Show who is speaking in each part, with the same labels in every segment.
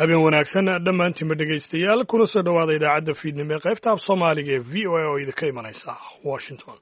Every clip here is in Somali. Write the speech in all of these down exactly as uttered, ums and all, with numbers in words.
Speaker 1: Habeen wanaagsan dhammaantiinba dhegaystayaal, kuna soo dhowaada idaacadda fiidnimo ee qaybta af Soomaaliga ee V O A oo idinka imanaysa Washington.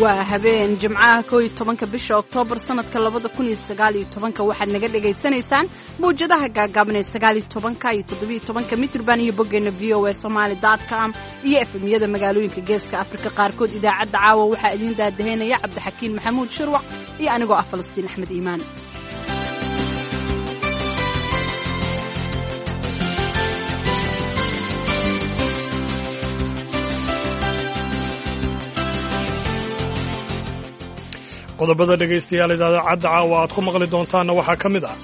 Speaker 2: Waa habeen Jimcaha, koo iyo tobanka bisha Oktoobar, sanadka labada kun iyo sagaal iyo tobanka. Waxaad naga dhagaysanaysaan mawjadaha gaagaaban ee sagaal iyo tobanka iyo toddobiyo tobanka mitrban iyo boggeena V O A Somali dot com iyo F M-yada magaalooyinka Geeska Afrika qaarkood. Idaacadda caawa waxaa idiin daadaheynaya Cabdixakiin Maxamuud Shirwac iyo anigoo ah Falastiin Axmed Iimaan.
Speaker 1: Qodobada dhegaystayaal idaacadda caawa aad ku maqli doontaanna waxaa ka mid ah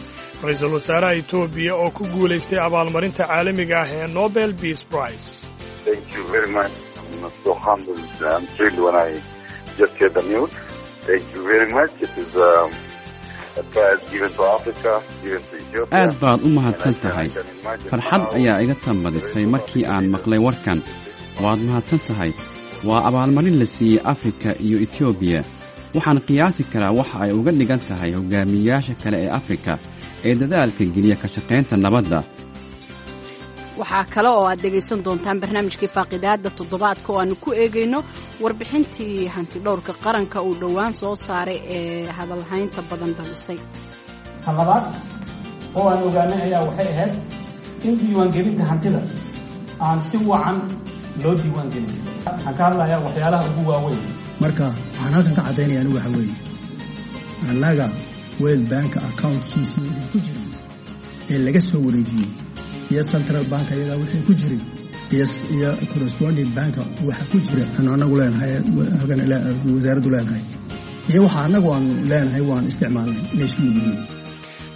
Speaker 1: ra-iisul wasaaraha Etoobiya oo ku guulaystay abaalmarinta caalamiga ah ee Nobel Peace Prize.
Speaker 3: Thank you very much. I'm so humbled. I'm thrilled when I just heard the news. Thank you very much. It is um, a prize given to Africa, given to Ethiopia.
Speaker 4: Aad baad u mahadsan tahay. Farxad ayaa iga tambadisay markii aan maqlay warkan. Waad mahadsan tahay. Waa abaalmarin la siiyey Afrika iyo Etoobiya. Waxaan qiyaasi karaa waxa ay uga dhigan tahay hogaamiyeyaasha kale ee Afrika ee dadaalka geliya ka shaqaynta nabadda.
Speaker 2: Waxaa kale oo aad dhegaysan doontaan barnaamijkii faaqidaada toddobaadka oo aanu ku eegayno warbixintii hantidhowrka qaranka uu dhowaan soo saaray ee hadalhaynta badan dhalisay.
Speaker 5: Ta labaad oo aan ogaanay ayaa waxay ahayd in diiwaangelinta hantida aan si wacan loo diiwaangelin. Waxaan ka hadlayaa waxyaalaha ugu waaweyn.
Speaker 6: Marka waxaan halkan ka caddaynaya anigu waxa weeye, annaga World Banka accountkiisii wixii ku jiray ee laga soo wareejiyey iyo central bank ayagaa wixii ku jiray iyo corresponding banka waxa ku jira aanu anagu leenahay, halkan wasaaraddu leedahay iyo waxa annagu aanu leenahay waan isticmaalnay inay isku mid yihiin.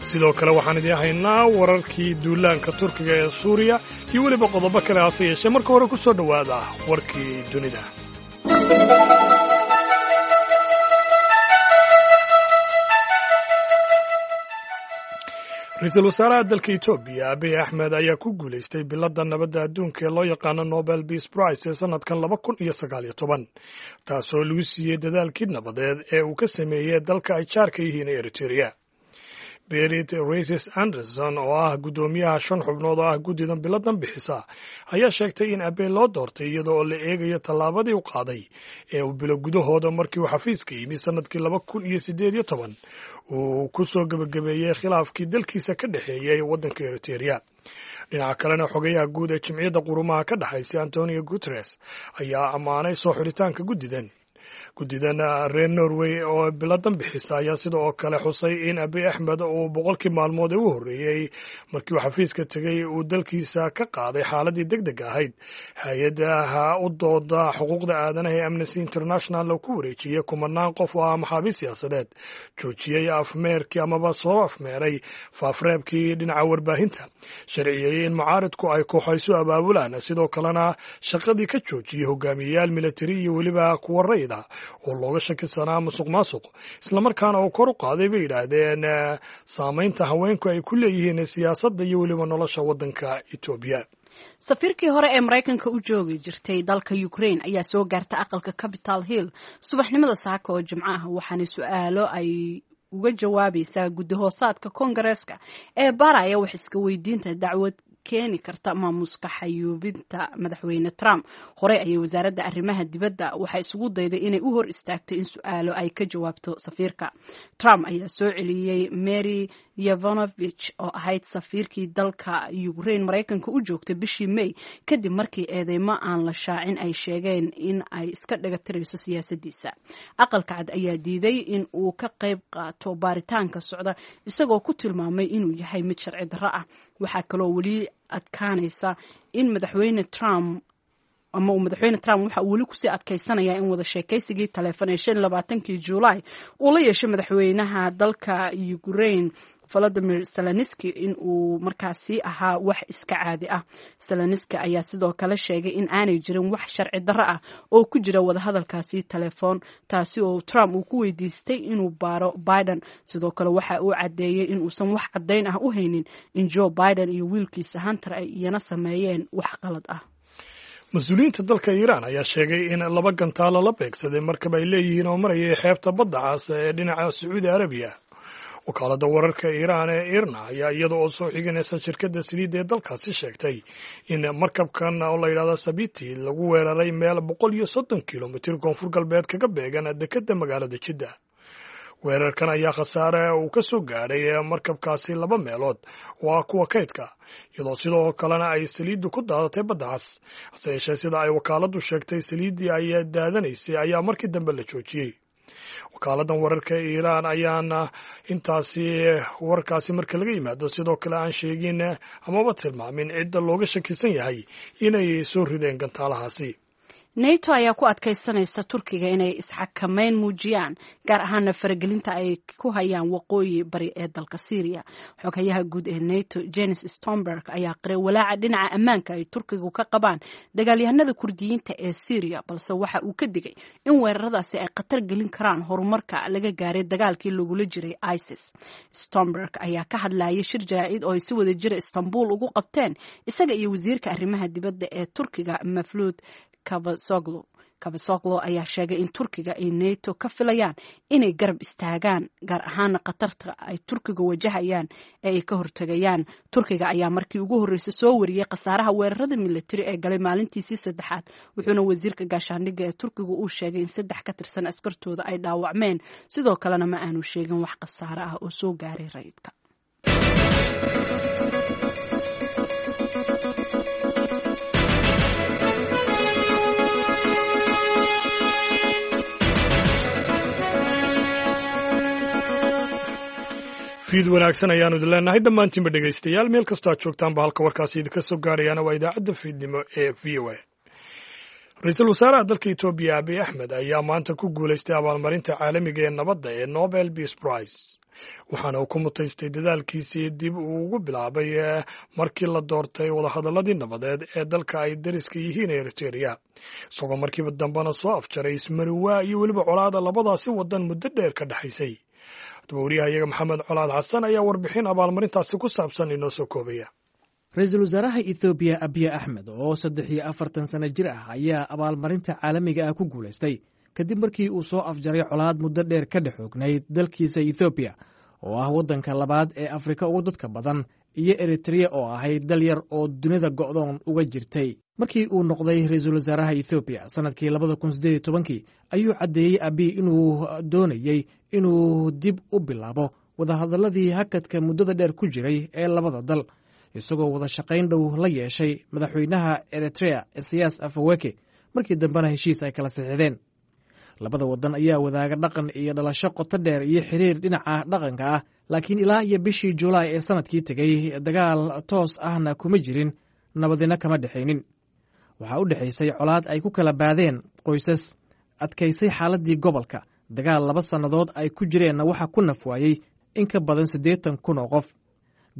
Speaker 1: Sidoo kale waxaan idiin haynaa wararkii duulaanka Turkiga ee Suuriya iyo weliba qodobo kale, hase yeeshee marka hore ku soo dhowaada warkii dunida. Ra-iisul wasaaraha dalka Etoobiya Abiy Axmed ayaa ku guulaystay biladda nabadda adduunka ee loo yaqaano Nobel Peace Prize ee sanadkan laba kun iyo sagaal iyo toban, taasoo lagu siiyey dadaalkii nabadeed ee uu ka sameeyey dalka ay jaarka yihiin Eritrea. Berit Reiss Anderson oo ah guddoomiyaha shan xubnood oo ah guddidan biladan bixisa ayaa sheegtay in Abiy loo doortay iyada oo la eegayo tallaabadii u qaaday ee uu bilo gudahooda markii uu xafiiska yimi sanadkii laba kun iyo siddeed iyo toban uu ku soo gebagabeeyey khilaafkii dalkiisa ka dhexeeyey waddanka Eritrea. Dhinaca kalena, xogayaha guud ee Jimciyadda Qurumaha ka dhexaysa Antonio Guteres ayaa ammaanay soo xiritaanka guddidan. Guddidan reer Norway oo biladan bixisa ayaa sida oo kale xusay in Abiy Axmed uu boqolkii maalmood ee u horreeyey markii uu xafiiska tegey uu dalkiisa ka qaaday xaaladii deg deg ahayd, hay-adaha u dooda xuquuqda aadanaha ee Amnesty International oo ku wareejiyey kumanaan qof oo ah maxaabiis siyaasadeed, joojiyey afmeerkii amaba soo afmeeray faafreebkii dhinaca warbaahinta, sharciyeeyey in mucaaridku ay kooxaysu abaabulaan, sidoo kalena shaqadii ka joojiyey hogaamiyeyaal militari iyo weliba kuwa rayida oo looga shakisanaa musuq maasuq, islamarkaana uu kor u qaaday, bay yidhaahdeen, saamaynta haweenku ay ku leeyihiin siyaasadda iyo weliba nolosha waddanka Etoobiya.
Speaker 2: Safiirkii hore ee Maraykanka u joogi jirtay dalka Ukraine ayaa soo gaarta aqalka Capitol Hill subaxnimada saaka oo Jimco ah, waxaana su-aalo ay uga jawaabaysaa guddi hoosaadka Koongareeska ee baraya wax iska weydiinta dacwad keeni karta maamuuska xayuubinta madaxweyne Trump. Horey ayay wasaaradda arrimaha dibadda waxay isugu dayday inay u hor istaagto in su-aalo ay ka jawaabto safiirka. Trump ayaa soo celiyey Mary Yovanovich oo ahayd safiirkii dalka Ukraine Maraykanka u joogtay bishii May, kadib markii eedeymo aan la shaacin ay sheegeen in ay iska dhagatirayso siyaasadiisa. Aqalka Cad ayaa diiday in uu ka qayb qaato baaritaanka socda, isagoo ku tilmaamay inuu yahay mid sharci darro ah. Waxaa kaloo weli adkaanaysa in madaxweyne Trump ama uu madaxweyne Trump waxa uu weli kusii adkaysanayaa in wada sheekaysigii taleefon ee shan iyo labaatankii Juulaay uu la yeeshay madaxweynaha dalka Ukraine Volodymyr Zelenski in uu markaasi ahaa wax iska caadi ah. Zelenski ayaa sidoo kale sheegay in aanay jirin wax sharci darro ah oo ku jira wadahadalkaasi telefoon, taasi oo Trump uu ku weydiistay inuu baaro Biden. Sidoo kale waxa uu caddeeyey in uusan wax caddayn ah u haynin in Joe Biden iyo wiilkiisa Hunter ay iyana sameeyeen wax qalad ah.
Speaker 1: Mas-uuliyiinta dalka Iiraan ayaa sheegay in laba gantaalo la beegsaday markab ay leeyihiin oo marayay xeebta badda cas ee dhinaca Sacuudi Arabiya. Wakaaladda wararka Iiraan ee IRNA ayaa iyada oo soo xiganaysa shirkadda saliidda ee dalkaasi sheegtay in markabkan oo la yidhahda Sabiti lagu weeraray meel boqol iyo soddon kilomitir koonfur galbeed kaga beegan dekedda magaalada Jidda. Weerarkan ayaa khasaare uu ka soo gaadhay markabkaasi laba meelood oo ah kuwa kaydka, iyadoo sidoo kalena ay saliiddu ku daadatay badda cas. Hase yeeshee, sida ay wakaaladdu sheegtay, saliiddii ay daadanaysay ayaa markii dambe la joojiyey. Wakaaladdan wararka Iiraan ayaana intaasi warkaasi marka laga yimaado sidoo kale aan sheegin amaba tilmaamin cidda looga shakisan yahay inay soo rideen gantaalahaasi.
Speaker 2: Nato ayaa ku adkaysanaysa Turkiga inay isxakameyn muujiyaan, gaar ahaana faragelinta ay ku hayaan waqooyi bari ee dalka Syria. Xoghayaha guud ee Nato Jens Stoltenberg ayaa qiray walaaca dhinaca ammaanka ay Turkigu ka qabaan dagaalyahanada Kurdiyiinta ee Syria, balse waxa uu ka digay in weeraradaasi ay khatar gelin karaan horumarka laga gaaray dagaalkii lagula jiray ISIS. Stoltenberg ayaa ka hadlayay shir jaraa'id oo ay si wada jira Istanbul ugu qabteen isaga iyo wasiirka arrimaha dibadda ee Turkiga Mevlut Cavusoglu. Cavusoglu ayaa sheegay in Turkiga ay Nato ka filayaan inay garab istaagaan, gaar ahaana khatarta ay Turkiga wajahayaan ee ay ka hortagayaan. Turkiga ayaa markii ugu horreysay soo wariyey khasaaraha weerarada militari ee galay maalintiisii saddexaad, wuxuuna wasiirka gaashaandhigga ee Turkiga uu sheegay in saddex ka tirsan askartooda ay dhaawacmeen. Sidoo kalena ma aanu sheegin wax khasaare ah oo soo gaaray rayidka.
Speaker 1: Fiid wanaagsan ayaanu idin leenahay dhammaantiinba dhegaystayaal, meel kastoo aad joogtaanba. Halka warkaasi idinka soo gaarayaana waa idaacadda fiidnimo ee V O A. Ra-iisul wasaaraha dalka Etoobiya Abiy Axmed ayaa maanta ku guulaystay abaalmarinta caalamiga ee nabadda ee Nobel Peace Prize, waxaana uu ku mutaystay dadaalkiisii dib uu ugu bilaabay markii la doortay wadahadalladii nabadeed ee dalka ay dariska yihiin Eritereya, isagoo markiiba dambena soo afjaray ismariwaa iyo weliba colaada labadaasi wadan muddo dheer ka dhexaysay. Haddaba, wariyaha iyaga Maxamed Colaad Xasan ayaa warbixin abaalmarintaasi ku saabsan inoo soo koobaya.
Speaker 5: Ra-iisul wasaaraha Ethoobiya Abiy Axmed oo saddex iyo afartan sano jir ah ayaa abaalmarinta caalamiga ah ku guulaystay kadib markii uu soo afjaray colaad muddo dheer ka dhex oognayd dalkiisa Ethoobiya oo ah waddanka labaad ee Afrika ugu dadka badan iyo Eritreya oo ahayd dal yar oo dunida go'doon uga jirtay. Markii uu noqday ra-iisul wasaaraha Ethoobiya sannadkii labada kun siddeed iyo tobankii ayuu caddeeyey Abiy inuu doonayey inuu dib u bilaabo wadahadalladii hakadka muddada dheer ku jiray ee labada dal, isagoo wada shaqayn dhow la yeeshay madaxweynaha Eritrea Isayas Afaweke, markii dambena heshiis ay kala saxiixdeen. Labada wadan ayaa wadaaga dhaqan iyo dhalasho qoto dheer iyo xiriir dhinaca dhaqanka ah, laakiin ilaa iyo bishii Julaay ee sanadkii tegey dagaal toos ahna kuma jirin, nabadina kama dhexaynin. Waxaa u dhexaysay colaad ay ku kala baadeen qoysas adkaysay xaaladdii gobolka. Dagaal laba sannadood ay ku jireenna waxaa ku nafwaayey in ka badan siddeetan kun oo qof.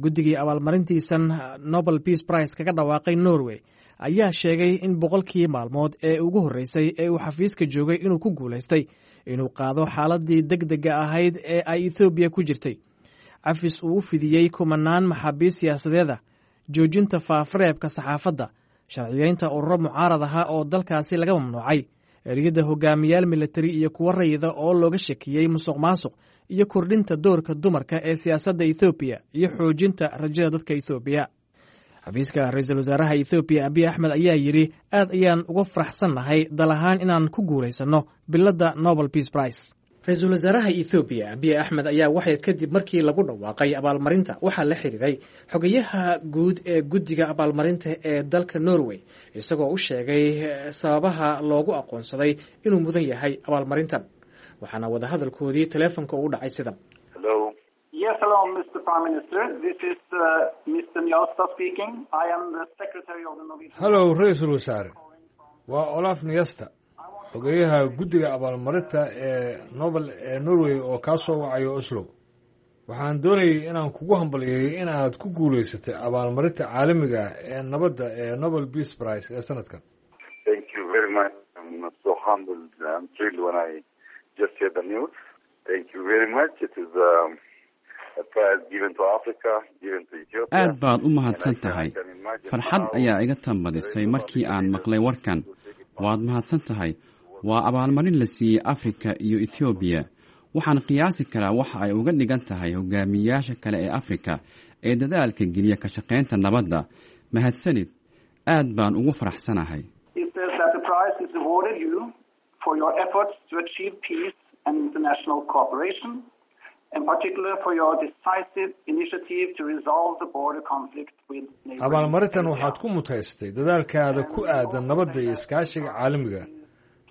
Speaker 5: Guddigii abaalmarintiisan Nobel Peace Prize kaga dhawaaqay Norway ayaa sheegay in boqolkii maalmood ee ugu horreysay ee uu xafiiska joogay inuu ku guulaystay inuu qaado xaaladdii deg dega ahayd ee ay Ethoobiya ku jirtay, cafis uu u fidiyey kumanaan maxaabiis siyaasadeeda, joojinta faafareebka saxaafadda, sharciyeynta ururo mucaarad aha oo dalkaasi laga mamnuucay, eriyada hogaamiyaal militari iyo kuwo rayida oo looga shakiyey musuq maasuq, iyo kordhinta doorka dumarka ee siyaasadda Ethoobiya iyo xoojinta rajada dadka Ethoobiya. Xafiiska ra-iisul wasaaraha Ethoobiya Abiy Axmed ayaa yidhi: "Aad ayaan uga faraxsannahay dal ahaan inaan ku guulaysanno biladda Nobel Peace Prize." Ra-iisul wasaaraha Ethoobiya Abiy Axmed ayaa waxyar kadib markii lagu dhawaaqay abaalmarinta waxaa la xiriiray xogayaha guud ee guddiga abaalmarinta ee dalka Norway, isagoo u sheegay sababaha loogu aqoonsaday inuu mudan yahay abaalmarintan, waxaana wadahadalkoodii teleefonka ugu dhacay sidan.
Speaker 7: Yes, hello, Mister Prime Minister. This is uh, Mister Njåstad speaking. I am the secretary of the Norwegian.
Speaker 8: Hallow, ra-iisul wasaare, waa Olaf Njåstad, xogeyaha guddiga abaalmarinta ee Nobel ee Norway oo kaa soo wacayo Oslo. Waxaan doonayay inaan kugu hambalyeeyo in aad ku guulaysatay abaalmarinta caalamiga ah ee nabadda ee Nobel Peace Prize ee sanadkan.
Speaker 3: Thank you very much. I'm so humbled and thrilled when I just heard the news. Thank you very much. It is um, a prize given to Africa, given to Ethiopia.
Speaker 4: Aad baad u mahadsan tahay. Farxad ayaa iga tambadisay markii aan maqlay warkan. Waad mahadsan tahay. Waa abaalmarin la siiyey Afrika iyo Ethoobiya. Waxaan qiyaasi karaa waxa ay uga dhigan tahay hogaamiyayaasha kale ee Afrika ee dadaalka geliya ka shaqaynta nabadda. Mahadsanid, aad baan ugu faraxsanahay.
Speaker 7: It says that the prize is awarded you for your efforts to achieve peace and international cooperation, in particular for your decisive initiative to resolve the border conflict with neighboring
Speaker 8: Abaalmarintan waxaad ku mutaysatay dadaalkaada ku aadan nabadda iyo iskaashiga caalamiga,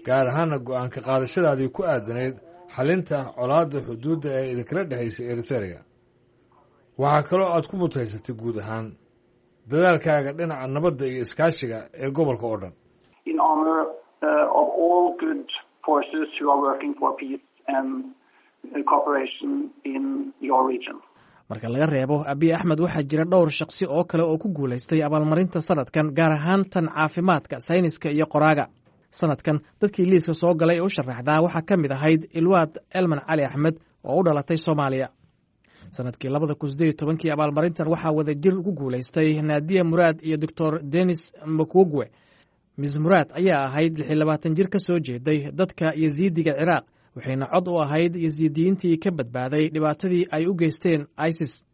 Speaker 8: gaar ahaana go'aanka qaadashadaadii ku aadanayd xalinta colaadda xuduudda ee idinkala dhexaysay Eritrea. Waxaa kaloo aad ku mutaysatay guud ahaan dadaalkaaga dhinaca nabadda iyo iskaashiga ee gobolka oo dhan.
Speaker 7: In honor uh, of all good forces who are working for peace and uh, cooperation in your region.
Speaker 5: Marka laga reebo Abiy Axmed, waxaa jira dhowr shaqsi oo kale oo ku guulaystay abaalmarinta sanadkan, gaar ahaan tan caafimaadka, sayniska iyo qoraaga. Sanadkan dadkii liiska soo galay ee u sharaxdaa waxaa ka mid ahayd Ilwaad Elman Cali Axmed oo u dhalatay Soomaaliya. Sanadkii labada kun sideed iyo tobankii abaalmarintan waxaa wadajir ugu guulaystay Naadiya Muraad iyo Doctor Denis Mukwege. Miss Muraad ayaa ahayd lix iyo labaatan jir ka soo jeeday dadka Yasiidiga Ciraaq, waxayna cod u ahayd Yasiidiyiintii ka badbaaday dhibaatadii ay u geysteen ISIS.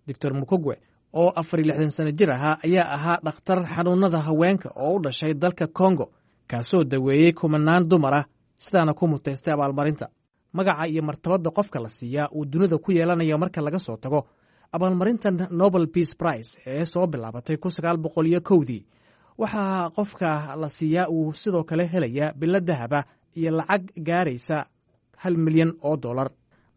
Speaker 5: Doctor Mukwege oo afar iyo lixdan sano jir ahaa ayaa ahaa dhakhtar xanuunada haweenka oo u dhashay dalka Congo, kaasoo daweeyey kumanaan dumar ah, sidaana ku mutaystay abaalmarinta. Magaca iyo martabadda qofka la siiyaa uu dunida ku yeelanayo marka laga soo tago, abaalmarintan Nobel Peace Prize ee soo bilaabatay kun sagaal boqol iyo kowdii, waxaa qofka la siiyaa uu sidoo kale helayaa bilo dahaba iyo lacag gaaraysa hal milyan oo dollar.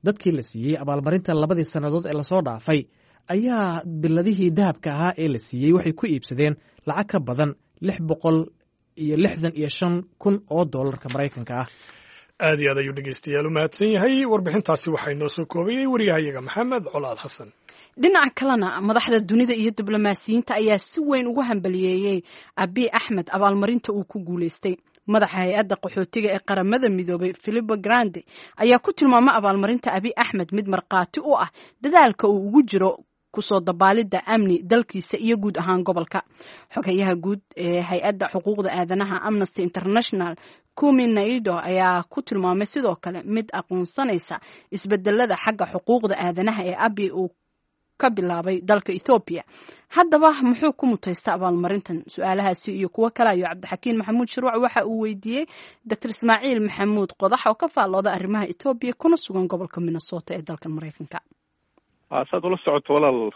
Speaker 5: Dadkii la siiyey abaalmarinta labadii sannadood ee lasoo dhaafay ayaa biladihii dahabka ahaa ee la siiyey waxay ku iibsadeen lacag ka badan lix boqol iyo lixdan iyo shan kun oo dollarka Maraykanka ah.
Speaker 1: Aad iyo aad ayuu dhegeystayaal u mahadsan yahay. Warbixintaasi waxaa inoo soo koobayey wariyahayaga Maxamed Colaad Xasan.
Speaker 2: Dhinaca kalena, madaxda dunida iyo diblomaasiyiinta ayaa si weyn ugu hambaliyeeyey Abiy Axmed abaalmarinta uu ku guulaystay. Madaxa hay-adda qaxootiga ee Qaramada Midoobay, Filippo Grandi, ayaa ku tilmaamay abaalmarinta Abiy Axmed mid markhaati u ah dadaalka uu ugu jiro kusoo dabaalidda amni dalkiisa iyo guud ahaan gobolka. Xogayaha guud ee hay-adda xuquuqda aadanaha Amnesty International, Kumi Naido, ayaa ku tilmaamay sidoo kale mid aqoonsanaysa isbedelada xagga xuquuqda aadanaha ee Abiy uu ka bilaabay dalka Ethoobiya. Haddaba muxuu ku mutaysta abaalmarintan? Su-aalahaasi iyo kuwo kale ayuu Cabdixakiin Maxamuud Shirwac waxa uu weydiiyey Doctor Ismaaciil Maxamuud Qodax oo ka faallooda arrimaha Etoobiya kuna sugan gobolka Minnesota ee dalkan Maraykanka.
Speaker 9: Saad ula socoto walaal,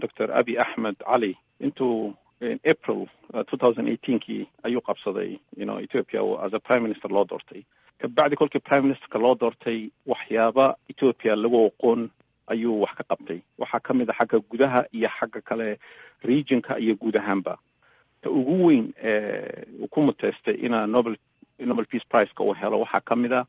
Speaker 9: Doctor Abiy Axmed Cali intuu April two thousand eighteenkii ayuu qabsaday you know Ethiopia as a prime minister loo doortay. Kabacdi kolkii prime ministerka loo doortay, waxyaaba Ethiopia lagu aqoon ayuu wax ka qabtay. Waxaa ka mid a xagga gudaha iyo xagga kale regionka iyo guud ahaanba. Ta ugu weyn uu ku muteystay ina Nobel Nobel Peace Prize-ka uu helo waxaa ka mid a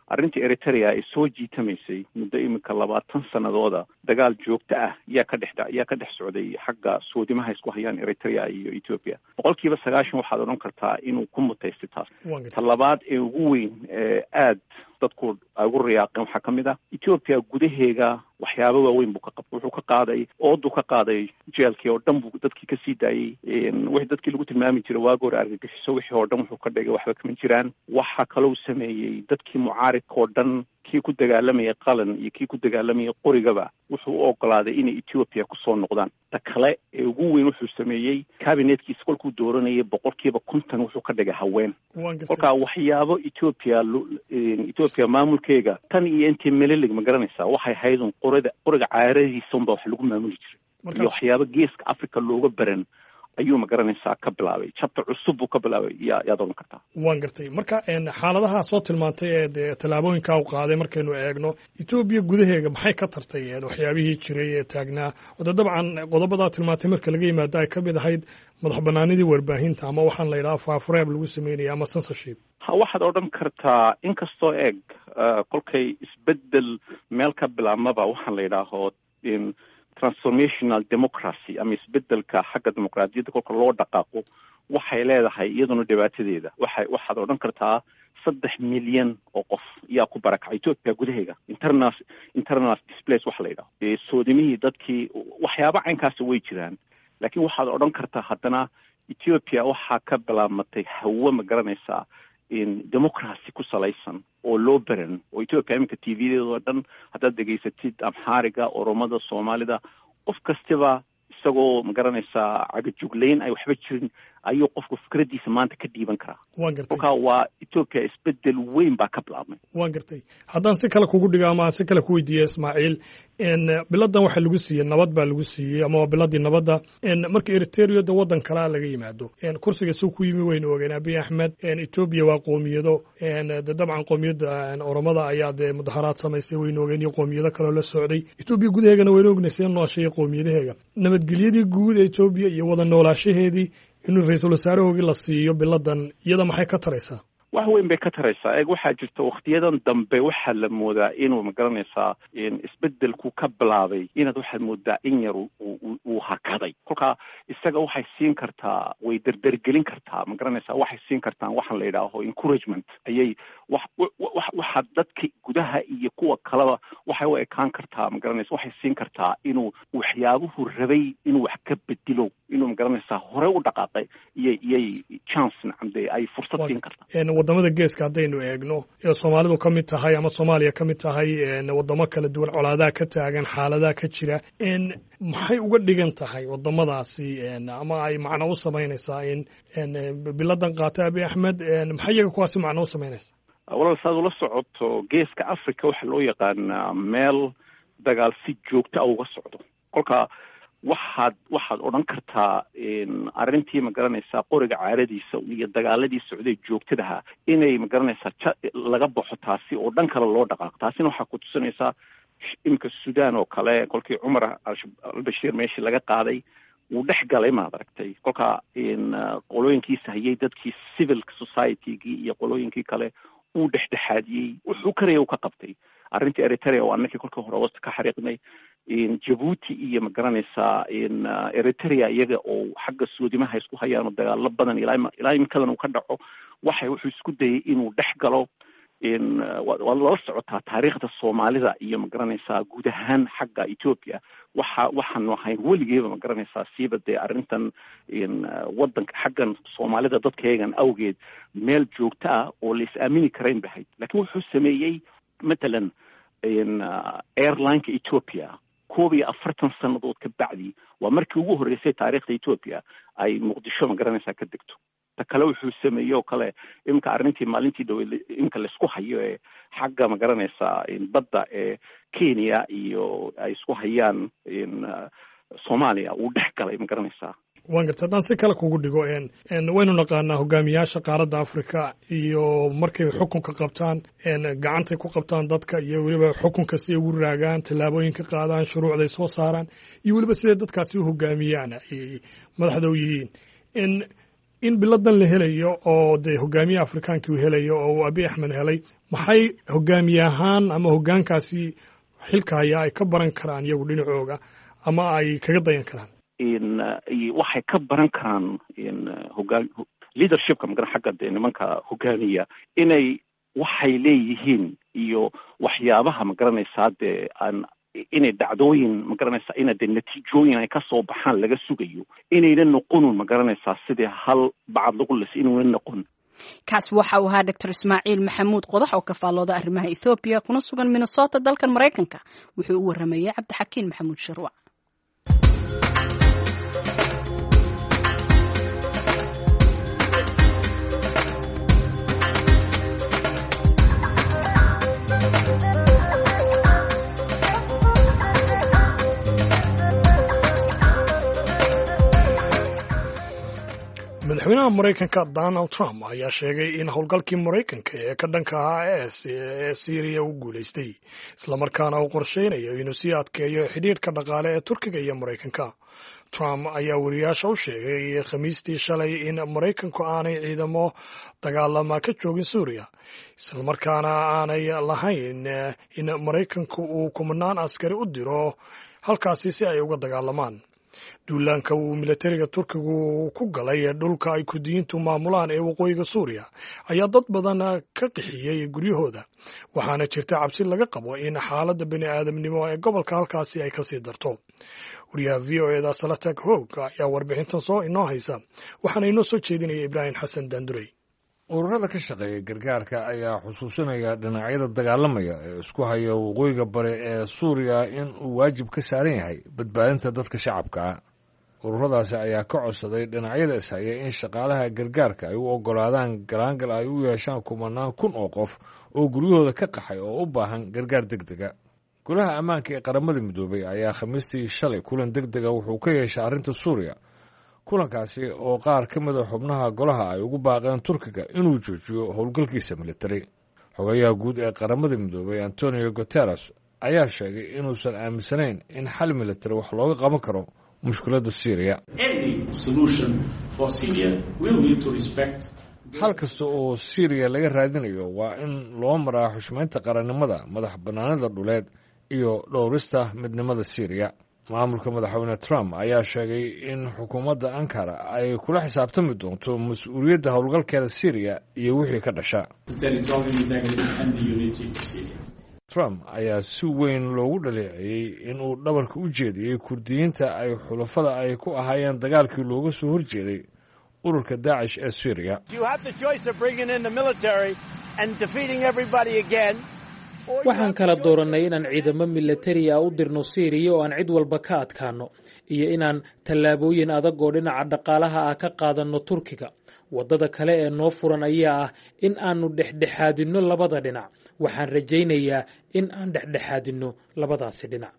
Speaker 9: arrintii Eritrea ay soo jiitamaysay muddo iminka labaatan sanadooda. Dagaal joogto ah yaa ka dhex yaa ka dhex socday xagga soodimaha isku hayaan Eritrea iyo Ethiopia. Boqolkiiba sagaashan waxaad odhan kartaa inuu ku mutaystay taas. Ta labaad ee ugu weyn ee aad dadku ay ugu riyaaqeen waxaa ka mid ah Ethiopia gudaheega waxyaaba waaweyn buu ka qabtay. Wuxuu ka qaaday ooduu ka qaaday jeelkii oo dhan buu dadkii kasii daayey. Wixii dadkii lagu tilmaami jiray waagi hore argagixiso, wixii oo dhan wuxuu ka dhigay waxba kama jiraan. Waxa kalou sameeyey dadkii mucaaridka oo dhan, kii ku dagaalamayay qalan iyo kii ku dagaalamayay qorigaba, wuxuu u ogolaaday inay Ethiopia kusoo noqdaan. Ta kale ee ugu weyn wuxuu sameeyey cabinetkiisa kolkuu dooranayay boqolkiiba konton wuxuu ka dhigay haween. Kolkaa waxyaabo Ethiopia Ethiopia maamulkeega tan iyo intii Melilig, ma garanaysaa, waxay ahayd un qorida qoriga caaradiisa unbaa wax lagu maamuli jiray iyo waxyaabo geeska Africa looga baran ayuu, ma garanaysaa, ka bilaabay. Chapter cusub buu ka bilaabay yaa yaad odhan kartaa.
Speaker 1: Waan gartay. Marka xaaladaha soo tilmaantay ee dee tallaabooyinkaa u qaaday, markaynu eegno Etoobiya gudaheega, maxay ka tartay waxyaabihii jiray ee taagnaa oo de dabcan qodobadaa tilmaantay marka laga yimaado ay ka mid ahayd madax banaanidii warbaahinta ama waxaan la yidhaha faafureeb lagu sameynaya ama censorship?
Speaker 9: Ha, waxaad odhan kartaa inkastoo eeg Kolkay isbedel meel ka bilaabmaba waxaan la yidhaaho transformational democracy ama isbedelka xagga dimuqraadiyadda kolka loo dhaqaaqo, waxay leedahay iyaduna dhibaatadeeda. Waxay waxaad odhan kartaa saddex milyan oo qof yaa ku barakacay Ethiopia gudaheega, internal internal displace waxa la yidhaho, soodimihii dadkii, waxyaaba caynkaasi way jiraan. Laakiin waxaad odhan kartaa haddana Ethiopia waxaa ka bilaabmatay hawo, ma garanaysaa, democracy ku salaysan oo loo beran oo Ethiopia iminka T V-deedoo dhan haddaad dhegaysatid, Amxaariga, Oromada, Soomaalida, qof kastiba isagoo, ma garanaysaa, cagajuglayn ay waxba jirin ayuu qofku fikraddiisa maanta ka dhiiban karaa.
Speaker 1: Waan gartay.
Speaker 9: Kolkaa waa Ethiopia isbedel weyn baa ka bilaabmay.
Speaker 1: Waan gartay. Haddaan si kale kugu dhigo ama aan si kale ku weydiiya, Ismaaciil, biladan waxaa lagu siiyey nabad baa lagu siiyey ama waa biladii nabadda. Marka Eritrea de waddan kalea laga yimaado, kursiga suu ku yimi waynu ogeen Abiy Axmed. Ethiopia waa qoomiyado, de dabcan qoomiyadda Oromada ayaa dee mudaharaad samaysay, waynu ogeen, iyo qoomiyado kaloo la socday. Ethiopia gudaheegana waynu ognay see nooshay qoomiyadaheega. Nabadgelyadii guud ee Ethiopia iyo wada noolaashaheedii inuu ra-iisul wasaarahoogii la siiyo biladan, iyada maxay ka taraysaa?
Speaker 9: Wax weyn bay ka taraysaa. Eeg, waxaa jirta waktiyadan dambe waxaa la moodaa inuu, ma garanaysaa, isbedelku ka bilaabay inaad waxaad moodaa in yar uu hakaday. Kolkaa isaga waxay siin kartaa, way derdergelin kartaa, ma garanaysaa, waxay siin kartaan waxaan la yidhaaho encouragement ayay wax waxaa dadka gudaha iyo kuwa kaleba waxay u ekaan kartaa, ma garanaysa, waxay siin kartaa inuu waxyaabuhu rabay inuu wax ka bedelo, inuu, ma garanaysaa, hore u dhaqaaqay iyay iyay chance nacamde ay fursad siin kartaa.
Speaker 1: Wadamada geeska haddaynu eegno ee Soomaalidu ka mid tahay ama Soomaaliya ka mid tahay, wadamo kala duwan colaadaha ka taagan, xaaladaha ka jira, maxay uga dhigan tahay wadamadaasi ama ay macno u samaynaysaa in biladan qaata Abiy Axmed? Maxay iyaga kuwaasi macno u samaynaysaa?
Speaker 9: Walaal, saad ula socoto, Geeska Africa waxaa loo yaqaanaa meel dagaal si joogta a uga socdo. Kolka waxaad waxaad odhan kartaa arrintii, ma garanaysaa, qoriga caaradiisa iyo dagaaladii socday joogtadaha inay, ma garanaysaa, laga baxo taasi oo dhan kale loo dhaqaaqo. Taasina waxaa ku tusinaysaa iminka Sudan oo kale, kolkii Cumar Albashiir meeshii laga qaaday wuu dhex galay, maad aragtay. Kolka qolooyinkiisa hayay dadkii civil society-gii iyo qolooyinkii kale uu dhexdhexaadiyey, wuxuu karaya uu ka qabtay. Arrintii Eritrea oo annakii kolkii hore hoosta ka xariiqnay, Jabuuti iyo, ma garanaysaa, Eritrea iyaga oo xagga soodimaha isku hayaan oo dagaalo badan ilaa ilaa iminkadan uu ka dhaco, waxay wuxuu isku dayay inuu dhex galo. Waad lala socotaa taariikhda Soomaalida iyo, ma garanaysaa, guud ahaan xagga Ethiopia waxa waxaanu ahayn weligeeba, ma garanaysaa, siiba dee arrintan waddanka xaggan Soomaalida dadkayagan awgeed meel joogto ah oo la is aamini karayn bahayd. Laakiin wuxuu sameeyey matalan airlineka Ethiopia koob iyo afartan sannadood ka bacdi waa markii ugu horreysay taariikhda Ethiopia ay Muqdisho, ma garanaysaa, ka degto. Ta kale wuxuu sameeyey oo kale iminka arrintii maalintii dhaweyd iminka laisku hayo ee xagga, ma garanaysaa, badda ee Kenya iyo ay isku hayaan Soomaaliya uu dhex galay, ma garanaysaa.
Speaker 1: Waan garta. Haddaan si kale kugu dhigo, waynu naqaanaa hogaamiyaasha qaaradda Africa iyo markay xukunka qabtaan gacantay ku qabtaan dadka iyo weliba xukunka si ay ugu raagaan, tallaabooyinka qaadaan, shuruucday soo saaraan iyo weliba siday dadkaasi u hogaamiyaan ay madaxda u yihiin. In biladan la helayo oo dee hogaamiye Afrikaankii uu helayo oo uu Abiy Axmed helay, maxay hogaamiye ahaan ama hogaankaasi xilka hayaa ay ka baran karaan iyagu dhinacooga ama ay kaga dayan karaan?
Speaker 9: Waxay ka baran karaan hogaan leadershipka, magaran, xagga dee nimanka hogaamiya inay waxay leeyihiin iyo waxyaabaha, ma garanaysaa, dee aan inay dhacdooyin, ma garanaysaa, ina dee natiijooyin ay kasoo baxaan laga sugayo, inayna noqonun, ma garanaysaa, sidii hal bacad lagu lis inuuna noqon.
Speaker 2: Kaas waxa uu ahaa Doctor Ismaaciil Maxamuud Qodax oo ka faallooda arrimaha Ethoobiya kuna sugan Minnesota dalkan Maraykanka. Wuxuu u waramayey Cabdixakiin Maxamuud Sharwac.
Speaker 1: Madaxweynaha Maraykanka Donald Trump ayaa sheegay in howlgalkii Maraykanka ee ka dhanka ahaa es ee Siiriya uu guulaystay, islamarkaana uu qorsheynayo inuu sii adkeeyo xidhiidhka dhaqaale ee Turkiga iyo Maraykanka. Trump ayaa wariyaasha u sheegay Khamiistii shalay in Maraykanku aanay ciidamo dagaalama ka joogin Suuriya, islamarkaana aanay lahayn in Maraykanku uu kumanaan askari u diro halkaasi si ay uga dagaalamaan. Duulaanka uu milatariga Turkigu ku galay dhulka ay Kurdiyiintu maamulaan ee waqooyiga Suuriya ayaa dad badan ka qixiyey guryahooda, waxaana jirta cabsi laga qabo in xaaladda bini aadamnimo ee gobolka halkaasi ay kasii darto. Wariyaha V O eda Salatag Hoog ayaa warbixintan soo inoo haysa, waxaana inoo soo jeedinaya Ibraahim Xasan Daandurey.
Speaker 8: Ururada ka shaqeeya gargaarka ayaa xusuusinaya dhinacyada dagaalamaya ee isku haya waqooyiga bare ee Suuriya in uu waajib ka saaran yahay badbaadinta dadka shacabka ah. Ururadaasi ayaa ka codsaday dhinacyada ishaya in shaqaalaha gargaarka ay u oggolaadaan galaangal ay u yeeshaan kumanaan kun oo qof oo guryahooda ka qaxay oo u baahan gargaar deg dega. Golaha ammaanka ee Qaramada Midoobay ayaa Khamiistii shalay kulan deg dega wuxuu ka yeeshay arrinta Suuriya, kulankaasi oo qaar ka mid a xubnaha golaha ay ugu baaqeen Turkiga inuu joojiyo howlgalkiisa militari. Xogayaha guud ee Qaramada Midoobay Antonio Guteres ayaa sheegay inuusan aaminsanayn in xal militari wax looga qaban karo mushkiladda Syriya. Xal kasta oo Syriya laga raadinayo waa in loo maraa xushmaynta qarannimada, madax bannaanida dhuleed iyo dhowrista midnimada Syriya. Maamulka Madaxweyne Trump ayaa sheegay in xukuumadda Ankara ay kula xisaabtami doonto mas-uuliyadda howlgalkeeda Syriya iyo wixii ka dhasha. Trump ayaa si weyn loogu dhaleeceeyey inuu dhabarka u jeediyey Kurdiyiinta ay xulafada ay ku ahaayeen dagaalkii looga soo horjeeday ururka Daacish ee Syriya.
Speaker 10: Waxaan kala doorannay inaan ciidamo milatari ah u dirno Siiriya oo aan cid walba ka adkaanno, iyo inaan tallaabooyin adag oo dhinaca dhaqaalaha ah ka qaadanno Turkiga. Waddada kale ee noo furan ayaa ah in aannu dhexdhexaadinno labada dhinac. Waxaan rajaynayaa in aan dhexdhexaadinno labadaasi dhinac.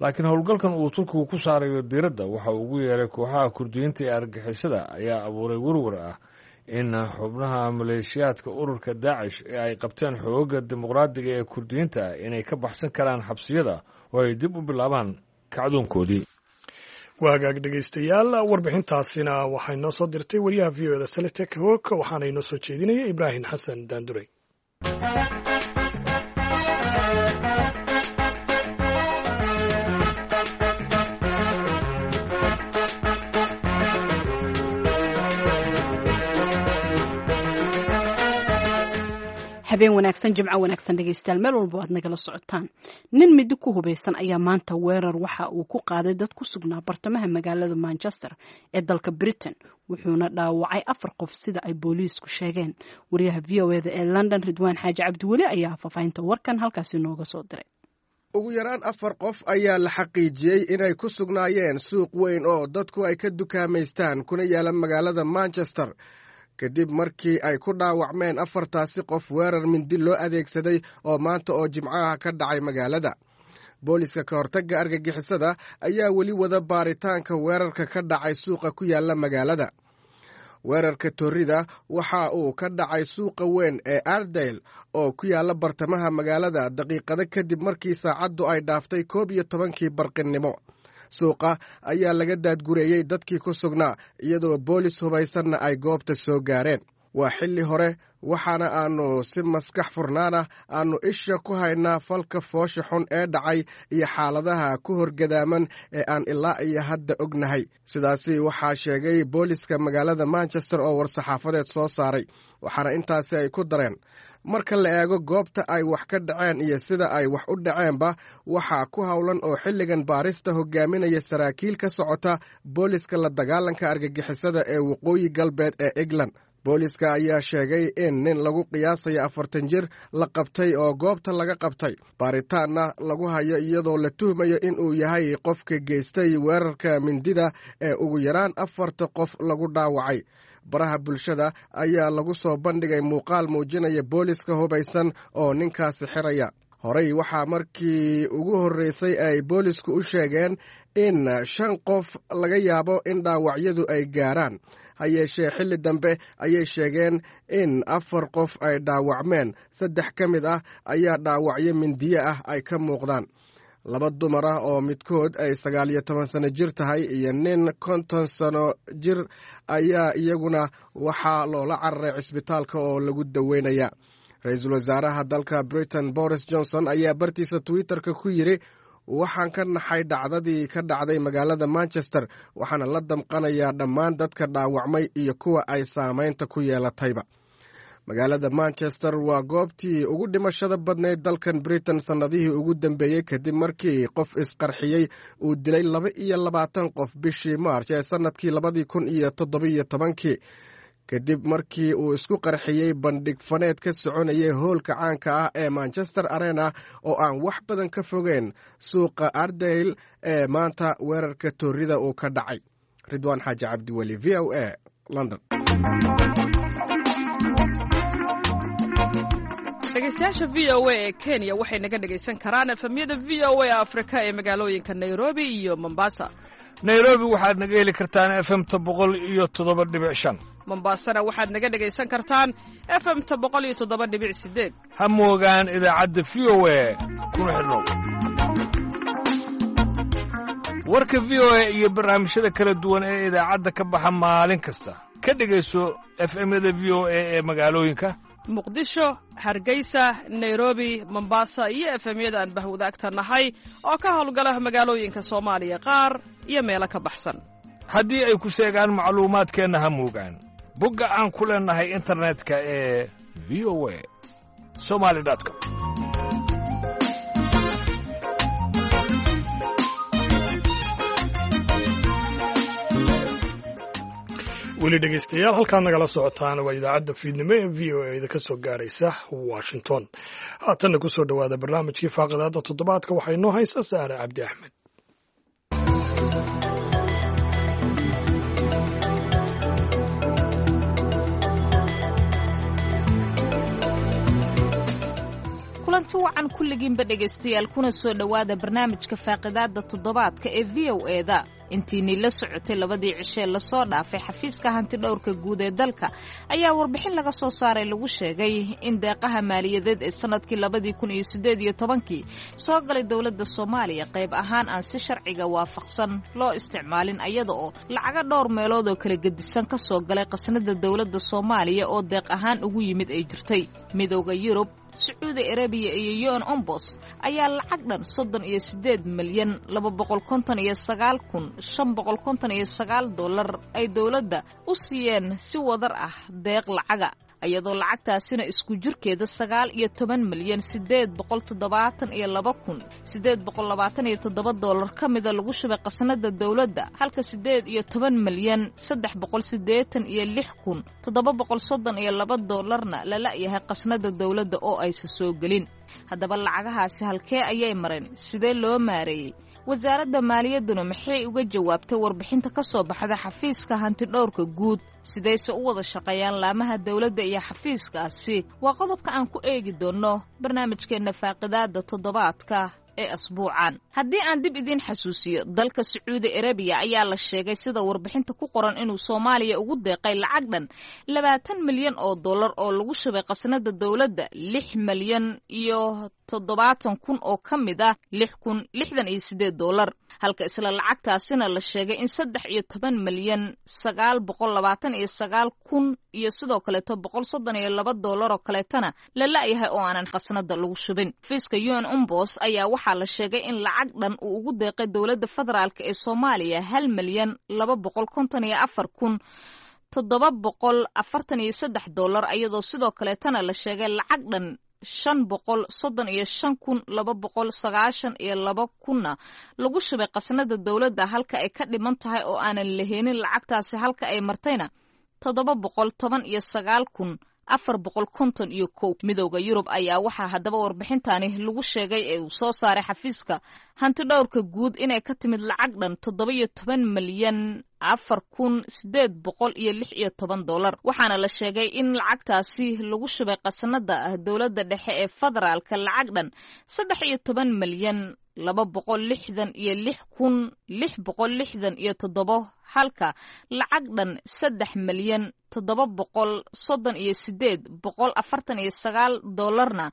Speaker 8: Laakiin howlgalkan uu Turkigu ku saarayo diiradda waxa uu ugu yeeray kooxaha Kurdiyiinta ee argixisada ayaa abuuray werwer ah in xubnaha maleeshiyaadka ururka Daacish ee ay qabteen xoogagga dimuqraadiga ee Kurdiyiinta inay ka baxsan karaan xabsiyada oo ay dib u bilaabaan kacdoonkoodii.
Speaker 1: Waagaag dhegaystayaal, warbixintaasina waxaa inoo soo dirtay wariyaha V O da Saletek Hok, waxaana inoo soo jeedinaya Ibraahim Xasan Daandurey.
Speaker 2: Habeen wanaagsan, Jimco wanaagsan dhegeystayaal, meel walba aad nagala socotaan. Nin midi ku hubeysan ayaa maanta weerar waxa uu ku qaaday dad ku sugnaa bartamaha magaalada Manchester ee dalka Britain, wuxuuna dhaawacay afar qof sida ay booliisku sheegeen. Wariyaha V O eda ee London Ridwaan Xaaji Cabdiweli ayaa faafahinta warkan halkaasi nooga soo diray.
Speaker 11: Ugu yaraan afar qof ayaa la xaqiijiyey inay ku sugnaayeen suuq weyn oo dadku ay ka dukaamaystaan kuna yaala magaalada Manchester, kadib markii ay ku dhaawacmeen afartaasi qof weerar mindi loo adeegsaday oo maanta oo Jimcaha ka dhacay magaalada. Booliska ka hortagga argagixisada ayaa weli wada baaritaanka weerarka ka dhacay suuqa ku yaala magaalada. Weerarka torrida waxa uu ka dhacay suuqa weyn ee Ardale oo ku yaala bartamaha magaalada daqiiqado kadib markii saacaddu ay dhaaftay koob iyo tobankii barqinnimo. Suuqa ayaa laga daadgureeyey dadkii ku sugnaa, iyadoo boolis hubaysanna ay goobta soo gaareen. Waa xilli hore, waxaana aannu si maskax furnaan ah aannu isha ku haynaa falka foosha xun ee dhacay iyo xaaladaha ku horgadaaman ee aan ilaa iyo hadda ognahay. Sidaasi waxaa sheegay booliska magaalada Manchester oo war-saxaafadeed soo saaray, waxaana intaasi ay ku dareen marka la eego goobta ay wax ka dhaceen iyo sida ay wax u dhaceenba, waxaa ku howlan oo xilligan baarista hogaaminaya saraakiil ka socota booliska la dagaalanka argagixisada ee waqooyi galbeed ee England. Booliska ayaa sheegay in nin lagu qiyaasayo afartan jir la qabtay oo goobta laga qabtay, baaritaanna lagu hayo iyadoo la tuhmayo in uu yahay qofka geystay weerarka mindida ee ugu yaraan afarta qof lagu dhaawacay. Baraha bulshada ayaa lagu soo bandhigay muuqaal muujinaya booliska hubaysan oo ninkaasi xiraya. Horey waxaa markii ugu horreysay ay boolisku u sheegeen in shan qof laga yaabo in dhaawacyadu ay gaaraan, ha yeeshee xilli dambe ayay sheegeen in afar qof ay dhaawacmeen, saddex ka mid ah ayaa dhaawacyo mindiye ah ay ka muuqdaan. Laba dumar ah oo midkood ay sagaal iyo toban sano jir tahay iyo nin konton sano jir ayaa iyaguna waxaa loola cararay cisbitaalka oo lagu daweynaya. Ra-iisul wasaaraha dalka Britain Boris Johnson ayaa bartiisa Twitterka ku yidhi: "Waxaan ka naxay dhacdadii ka dhacday magaalada Manchester, waxaana la damqanayaa dhammaan dadka dhaawacmay iyo kuwa ay saameynta ku yeelatayba." Magaalada Manchester waa goobtii ugu dhimashada badnayd dalkan Britain sannadihii ugu dambeeyey, kadib markii qof isqarxiyey uu dilay laba iyo labaatan qof bishii Maarch ee sannadkii labadii kun iyo toddobiyo tobankii, kadib markii uu isku qarxiyey bandhig faneed ka soconayay hoolka caanka ah ee Manchester Arena oo aan wax badan ka fogeyn suuqa Ardale ee maanta weerarka toorida uu ka dhacay. Ridwaan Xaaji Cabdiweli, V O A, London.
Speaker 12: Dhegeystayaasha V O A ee Kenya waxay naga dhegaysan karaan F M-yada V O A Afrika ee magaalooyinka Nairobi iyo Mombasa.
Speaker 8: Nairobi waxaad naga heli kartaan F M-ta boqol iyo toddoba dhibic shan.
Speaker 12: Mombasana waxaad naga dhegaysan kartaan F M-ta boqol iyo toddoba dhibic sideed.
Speaker 8: Ha moogaan idaacadda V O A, kuna xidhnow warka V O A iyo barnaamijyada kala duwan ee idaacadda ka baxa maalin kasta. Ka dhegayso F M-yada V O A ee magaalooyinka
Speaker 12: Muqdisho, Hargeysa, Nairobi, Mombasa iyo F M-yada aan bahwadaagta nahay oo ka howlgala magaalooyinka Soomaaliya qaar iyo meelo ka baxsan.
Speaker 8: Haddii ay ku seegaan macluumaadkeenna, ha moogaan bogga aan ku leennahay internetka ee V O A somali com.
Speaker 1: Weli dhegeystayaal, halkaad nagala socotaan waa idaacadda fiidnimo ee V O A da ka soo gaaraysa Washington. Haatanna ku soo dhowaada barnaamijkii faaqidaadda toddobaadka. Waxaa inoo haysa Saare Cabdi Axmed.
Speaker 13: Kulanti wacan kulligiinba dhegaystayaal, kuna soo dhowaada barnaamijka faaqidaadda toddobaadka ee V O E da. Intiinii la socotay labadii cishee lasoo dhaafay, xafiiska hanti dhowrka guud ee dalka ayaa warbixin laga soo saaray lagu sheegay in deeqaha maaliyadeed ee sanadkii labadii kun iyo siddeed iyo tobankii soo galay dowladda Soomaaliya qayb ahaan aan si sharciga waafaqsan loo isticmaalin, ayada oo lacaga dhowr meelood oo kala gedisan ka soo galay qasnada dowladda Soomaaliya oo deeq ahaan ugu yimid ay jirtay. Midowda Yurub, Sacuudi Arabiya iyo U N Ombos ayaa lacag dhan soddon iyo siddeed milyan laba boqol konton iyo sagaal kun shan boqol konton iyo sagaal dollar ay dowladda u siiyeen si wadar ah deeq lacaga, iyadoo lacagtaasina isku jirkeeda sagaal iyo toban milyan siddeed boqol toddobaatan iyo laba kun siddeed boqol labaatan iyo toddoba dollar ka mida lagu shubay qasnada dowladda, halka siddeed iyo toban milyan saddex boqol siddeetan iyo lix kun toddoba boqol soddon iyo laba dollarna la la'yahay qasnada dowladda oo aysan soo gelin. Haddaba lacagahaasi halkee ayay mareen? Sidee loo maareeyey? Wasaaradda maaliyadduna maxay uga jawaabtay warbixinta ka soo baxda xafiiska hantidhowrka guud? Sidayse u wada shaqeeyaan laamaha dowladda iyo xafiiskaasi? Waa qodobka aan ku eegi doonno barnaamijkeenna faaqidaadda toddobaadka ee asbuucan. Haddii aan dib idiin xasuusiyo, dalka Sacuudi Arabiya ayaa la sheegay, sida warbixinta ku qoran, inuu Soomaaliya ugu deeqay lacag dhan labaatan milyan oo dollar oo lagu shubay qasnada dowladda lix milyan iyo toddobaatan kun oo ka mid ah lix kun lixdan iyo siddeed dollar, halka isla lacagtaasina la sheegay in saddex iyo toban milyan sagaal boqol labaatan iyo sagaal kun iyo sidoo kaleeto boqol soddon iyo laba dollar oo kaleetana la la'yahay oo aanan qasnada lagu shubin. Xafiiska U N Umbos ayaa waxaa la sheegay in lacag dhan uu ugu deeqay dowladda federaalk ee Soomaaliya hal milyan laba boqol konton iyo afar kun toddoba boqol afartan iyo saddex dollar, iyadoo sidoo kaleetana la sheegay lacag dhan shan boqol soddon iyo shan kun laba boqol sagaashan iyo laba kunna lagu shubay qasnada dowladda, halka ay ka dhiman tahay oo aanan laheenin lacagtaasi halka ay martayna toddoba boqol toban iyo sagaal kun afar boqol konton iyo kow. Midowda Yurub ayaa waxaa haddaba warbixintani lagu sheegay ee uu soo saaray xafiiska hantidhowrka guud inay ka timid lacag dhan toddoba iyo toban milyan afar kun sideed boqol iyo lix iyo toban dollar, waxaana la sheegay in lacagtaasi lagu shubay qasnada dowladda dhexe ee federaalka lacag dhan saddex iyo toban milyan laba boqol lixdan iyo lix kun lix boqol lixdan iyo toddobo, halka lacag dhan saddex milyan toddoba boqol soddon iyo sideed boqol afartan iyo sagaal dollarna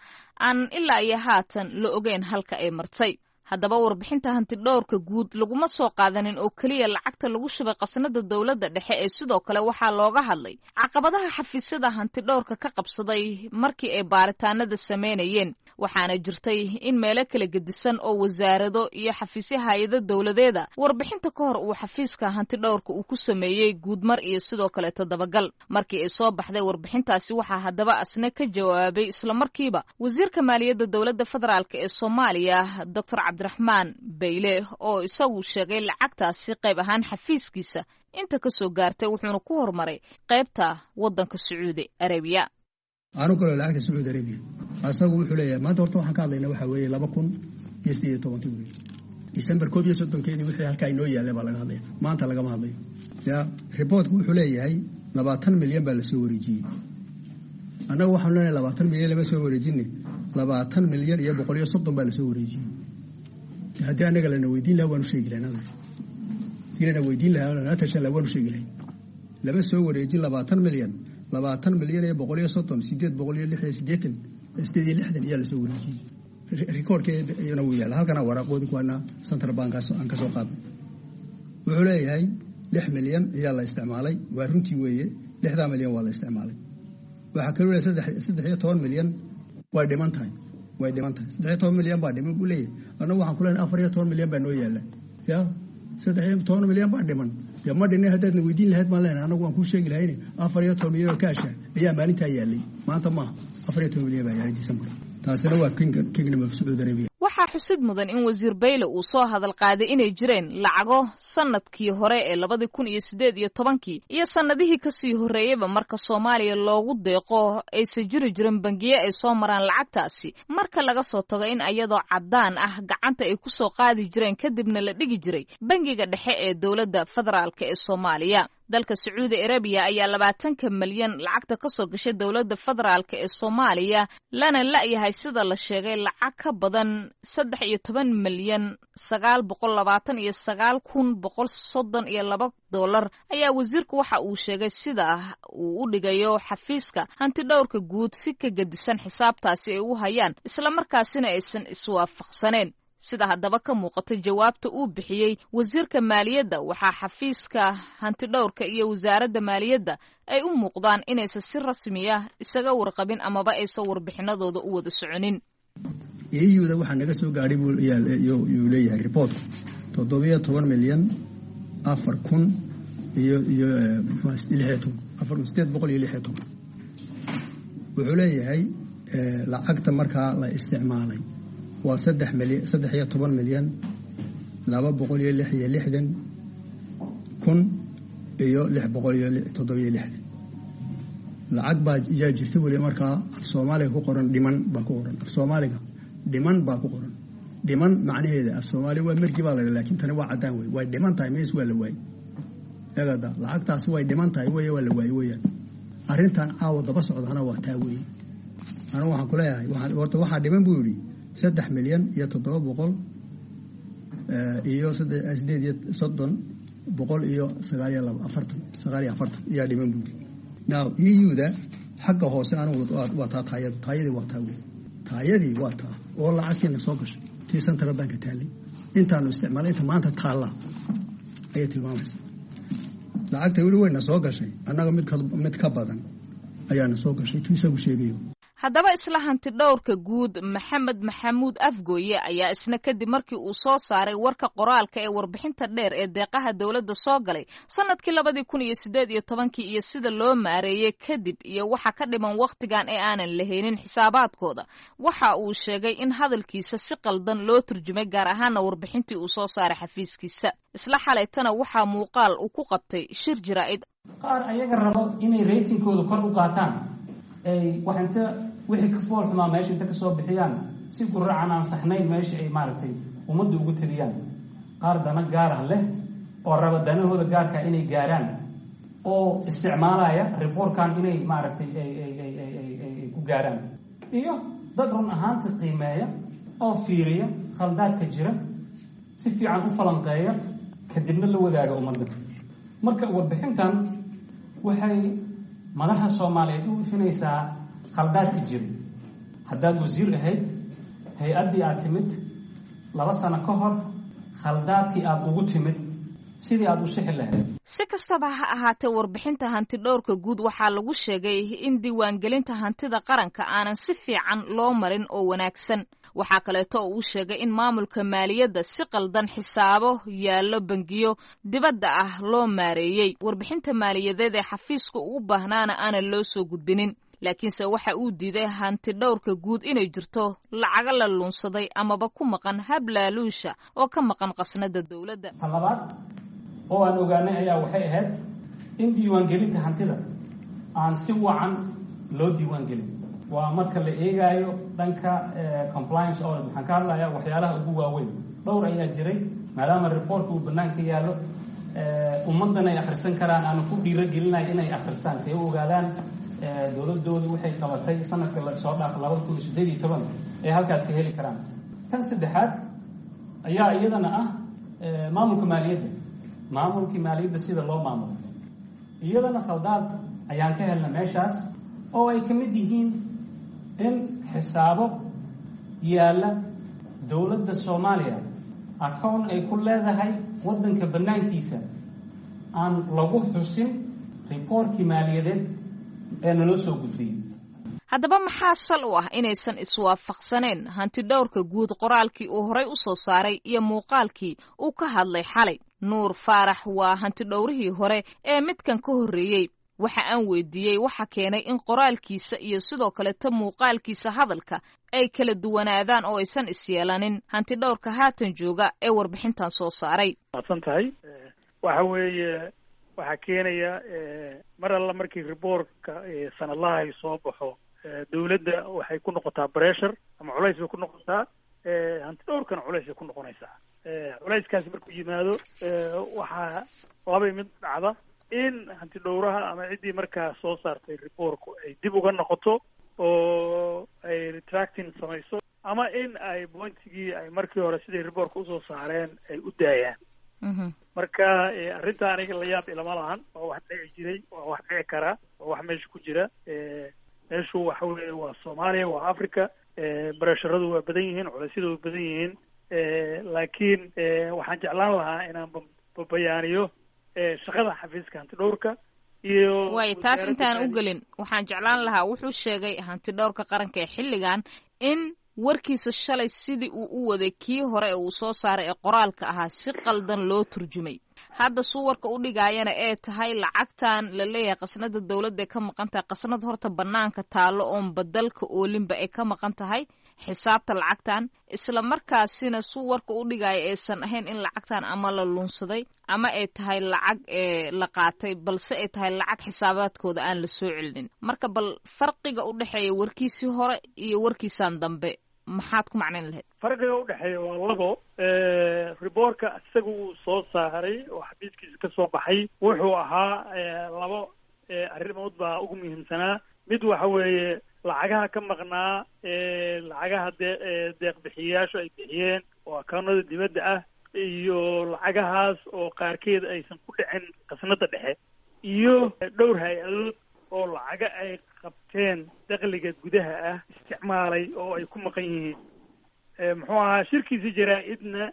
Speaker 13: aan ilaa iyo haatan la ogeyn halka ay martay. Haddaba warbixinta hantidhowrka guud laguma soo qaadanin oo keliya lacagta lagu shubay qasnada dowladda dhexe ee sidoo kale waxaa looga hadlay caqabadaha xafiisyada hantidhowrka ka qabsaday markii ay baaritaanada sameynayeen. Waxaana jirtay in meelo kala gedisan oo wasaarado iyo xafiisyo hay-ado dowladeeda warbixinta ka hor uu xafiiska hantidhowrka uu ku sameeyey guudmar iyo sidoo kale toddobagal. Markii ay soo baxday warbixintaasi waxaa haddaba asna ka jawaabay islamarkiiba wasiirka maaliyadda dowladda federaalk ee Soomaaliya, Doctor Cabdiraxmaan Bayle, oo isagu sheegay lacagtaasi qayb ahaan xafiiskiisa inta ka soo gaartay, wuxuuna ku horumaray qaybta waddanka Sacuudi Arabiya.
Speaker 6: Aanu kaloo lacagta Sacuudi Arabiya asagu wuxuu leeyahay maanta horta waxaan ka hadlaynaa waxaa weeye laba kun iyo sideed iyo tobankii weeye, December koob iyo soddonkeedii wixii halkaa inoo yaallay baa laga hadlaya, maanta lagama hadlayo. Ya riboortku wuxuu leeyahay labaatan milyan baa lasoo wareejiyey. Annagu waxaanu leenahay labaatan milyan lama soo wareejine, labaatan milyan iyo boqol iyo soddon baa lasoo wareejiyey. Haddii annaga lana weydiin lahaa waanu sheegi lahayn, haddii lana weydiin lahaa lana tashan lahaa waanu sheegi lahayn. Lama soo wareejin labaatan milyan, labaatan milyan iyo boqol iyo soddon, sideed boqol iyo lix iyo siddeetan, sideed iyo lixdan ayaa lasoo wareejiyey. Rikoorkeedana wuu yaalla halkana, waraaqoodi kuwaana central bankaas aan ka soo qaadnay. Wuxuu leeyahay lix milyan ayaa la isticmaalay. Waa runtii weeye, lixdaa milyan waa la isticmaalay. Waxaa kaloo leeyahay saddex saddex iyo toban milyan way dhiman tahay, way dhiman tahay. Saddex iyo toban milyan baa dhiman buu leeyahay. Annagu waxaan ku leenahay afar iyo toban milyan baa noo yaalla. Ya saddex iyo toban milyan baa dhiman dee ma dhinay, haddaadna weydiin lahayd baan leenahay annagu waan kuu sheegi lahayne afar iyo toban milyan oo kaasha ayaa maalintaa yaallay, maanta maaha. Afar iyo toban milyan baa yaallay December. Taasina waa Kingdom of Saudi Arabia.
Speaker 13: Waxaa xusid mudan in wasiir Bayle uu soo hadal qaaday inay jireen lacago sanadkii hore ee labadii kun iyo sideed iyo tobankii iyo sannadihii kasii horreeyeyba marka Soomaaliya loogu deeqo aysan jiri jirin bangiye ay soo maraan lacagtaasi, marka laga soo tago in ayadoo caddaan ah gacanta ay kusoo qaadi jireen kadibna la dhigi jiray bangiga dhexe ee dowladda federaalk ee Soomaaliya. Dalka Sacuudi Arabiya ayaa labaatanka milyan lacagta ka soo gashay dowladda federaalk ee Soomaaliya lana la'yahay sida la sheegay lacag ka badan saddex iyo toban milyan sagaal boqol labaatan iyo sagaal kun boqol soddon iyo laba dollar ayaa wasiirku waxa uu sheegay sida uu u dhigayo xafiiska hantidhowrka guud si ka gedisan xisaabtaasi ay u hayaan, islamarkaasina aysan iswaafaqsaneen. Sida haddaba ka muuqata jawaabta uu bixiyey wasiirka maaliyadda, waxaa xafiiska hantidhowrka iyo wasaaradda maaliyadda ay u muuqdaan inaysan si rasmiya isaga warqabin amaba aysan warbixinadooda u wada soconin.
Speaker 6: E U-da waxaa naga soo gaadhay yuu leeyahay riboortku toddobiyo toban milyan afar kun iyo iyo lixiyo toban, afar kun sideed boqol iyo lixiyo toban. Wuxuu leeyahay lacagta markaa la isticmaalay waa saddex milyan, saddex iyo toban milyan laba boqol iyo lix iyo lixdan kun iyo lix boqol iyo toddobiyo lixdan. Lacag baa yaa jirta weli markaa af Soomaaliga ku qoran, dhiman baa ku qoran. Af Soomaaliga dhiman baa ku qoran. Dhiman macnaheeda af Soomaaliya waa mergi baa la, laakiin tani waa caddaan wey, way dhiman tahay, mees waa la waayey. Eegada lacagtaasi way dhiman tahay wey, waa la waayey weeyaan. Arrintan caawa daba socdaana waa taa weeye. Anigu waxaan ku leeyahay horta waxaa dhiman buu yidhi saddex milyan iyo toddoba boqol iyo sideed iyo soddon boqol iyo sagaal iyo laba afartan, sagaal iyo afartan ayaa dhiman buu yidhi. Now E U-da xagga hoose anigu waa taa taayadu, taayadii waa taa wey, taayadii waa taa oo lacagtiina soo gashay tii central banka taallay intaanu isticmaalay inta maanta taalla ayay tilmaamaysa. Lacagta weli wayna soo gashay, annaga mid mid ka badan ayaana soo gashay tuu isagu sheegayo.
Speaker 13: Haddaba isla hanti dhowrka guud Maxamed Maxamuud Afgooye ayaa isna kadib markii uu soo saaray warka qoraalka ee warbixinta dheer ee deeqaha dowladda soo galay sanadkii labadii kun iyo sideed iyo tobankii iyo sida loo maareeyey kadib iyo waxa ka dhiman wakhtigan ee aanan lahaynin xisaabaadkooda, waxa uu sheegay in hadalkiisa si qaldan loo turjumay, gaar ahaana warbixintii uu soo saaray xafiiskiisa. Isla xalaytana waxaa muuqaal uu ku qabtay shir jaraa'id.
Speaker 14: Qaar ayaga rabo inay ratingkooda kor u qaataan, ay wax inta wixii ka fool xumaa meesha inta kasoo bixiyaan si guracan aan saxnayn meesha ay maaragtay ummadda ugu taliyaan. Qaar dana gaarah leh oo raba danahooda gaarka inay gaaraan oo isticmaalaya reportkan inay maaragtay ay ay ay ay ay ay ku gaaraan, iyo dad run ahaanta qiimeeya oo fiiriya khaldaadka jira, si fiican u falanqeeya, kadibna la wadaaga ummadda. Marka warbixintan waxay madaxa Soomaaliyeed u ifinaysaa khaldaadka jira. Haddaad wasiir ahayd, hay-addii aad timid Laba sano ka hor khaldaadkii aada ugu timid sidii aada u sixi lahayd.
Speaker 13: Si kastaba ha ahaatee, warbixinta hantidhowrka guud waxaa lagu sheegay in diiwaangelinta hantida qaranka aanan si fiican loo marin oo wanaagsan. Waxaa kaleeto oo uu sheegay in maamulka maaliyadda si qaldan xisaabo yaallo bangiyo dibadda ah loo maareeyey, warbixinta maaliyadeed ee xafiiska ugu baahnaana aanan loo soo gudbinin. Laakiinse waxa uu diiday hantidhowrka guud inay jirto lacago la luunsaday amaba ku maqan hablaaluusha oo ka maqan qasnada dowladda.
Speaker 14: Ta labaad oo aan ogaanay ayaa waxay ahayd in diiwaangelinta hantida aan si wacan loo diiwaangelin. Waa marka la eegaayo dhanka compliance audit, waxaan ka hadlayaa waxyaalaha ugu waaweyn. Dhowr ayaa jiray, maadaama reportka uu bannaanka yaallo, ummaddan ay akhrisan karaan, aanu ku dhiirogelinayo inay akhristaan si ay u ogaadaan dowladoodu waxay qabatay sanadka soo dhaaf labada kun iyo siddeed iyo toban ay halkaas ka heli karaan. Tan saddexaad ayaa iyadana ah maamulka maaliyadda, maamulkii maaliyadda sida loo maamulo, iyadana khaldaad ayaan ka helna meeshaas, oo ay ka mid yihiin in xisaabo yaalla dowladda Soomaaliya account ay ku leedahay waddanka bannaankiisa aan lagu xusin reportkii maaliyadeed ee naloo soo gudbiyey.
Speaker 13: Haddaba maxaa sal u ah inaysan iswaafaqsaneen hantidhowrka guud qoraalkii uu horay u soo saaray iyo muuqaalkii uu ka hadlay xalay? Nuur Faarax waa hantidhowrihii hore ee midkan ka horreeyey. Waxa aan weydiiyey waxa keenay in qoraalkiisa iyo sidoo kaleto muuqaalkiisa hadalka ay kala duwanaadaan oo aysan isyeelanin hantidhowrka haatan jooga ee warbixintan soo saaray.
Speaker 15: Maadsan tahay. Waxa weeye, waxaa keenaya mar alla markii reportka sanadlaha ay soo baxo, dawladda waxay ku noqotaa pressure ama culays bay ku noqotaa, hantidhowrkana culays bay ku noqonaysaa. Culayskaasi markuu yimaado, waxaa labay mid dhacda: in hantidhowraha ama ciddii markaa soo saartay reportku ay dib uga noqoto oo ay retracting samayso, ama in ay pointigii ay markii hore siday reportka usoo saareen ay u daayaan. Marka arrinta aniga la yaab ilama lahan. Waa wax dhici jiray, waa wax dhici karaa, waa wax meesha ku jira. Meeshu waxa weeye waa Soomaaliya, waa Africa, pressuradu waa badan yihiin, culeysyadu waa badan yihiin. Laakiin waxaan jeclaan lahaa inaan babayaaniyo shaqada xafiiska hantidhowrka iyo
Speaker 13: Waay, taas intaan u gelin, waxaan jeclaan lahaa, wuxuu sheegay hantidhowrka qaranka ee xilligan in warkiisa shalay sidii uu u waday kii hore ee uu soo saaray ee qoraalka ahaa si qaldan loo turjumay. Hadda suu warka u dhigaayana ee tahay lacagtan la leeyahay qasnada dowladda ee ka maqan tahay, qasnad horta bannaanka taallo oon badalka oolinba ay ka maqan tahay xisaabta lacagtan, isla markaasina suu warka u dhigaayo aysan ahayn in lacagtan ama la lunsaday ama ay tahay lacag ee la qaatay, balse ay tahay lacag xisaabaadkooda aan la soo celinin. Marka bal farqiga u dhexeeya warkiisii hore iyo warkiisaan dambe maxaad ku macnayn lahayd?
Speaker 15: Farqiga udhexeeya waa labo. Reportka isaga uu soo saaray oo xafiiskiisa ka soo baxay wuxuu ahaa labo arrimood baa ugu muhiimsanaa. Mid waxa weeye lacagaha ka maqnaa, lacagaha dee deeq bixiyayaashu ay bixiyeen oo akawnada dibadda ah, iyo lacagahaas oo qaarkeed aysan ku dhicin khasnada dhexe, iyo dhowr hay-adood oo lacaga ay qabteen dakhliga gudaha ah isticmaalay oo ay ku maqan yihiin. Muxuu ahaa, shirkiisi jaraa-idna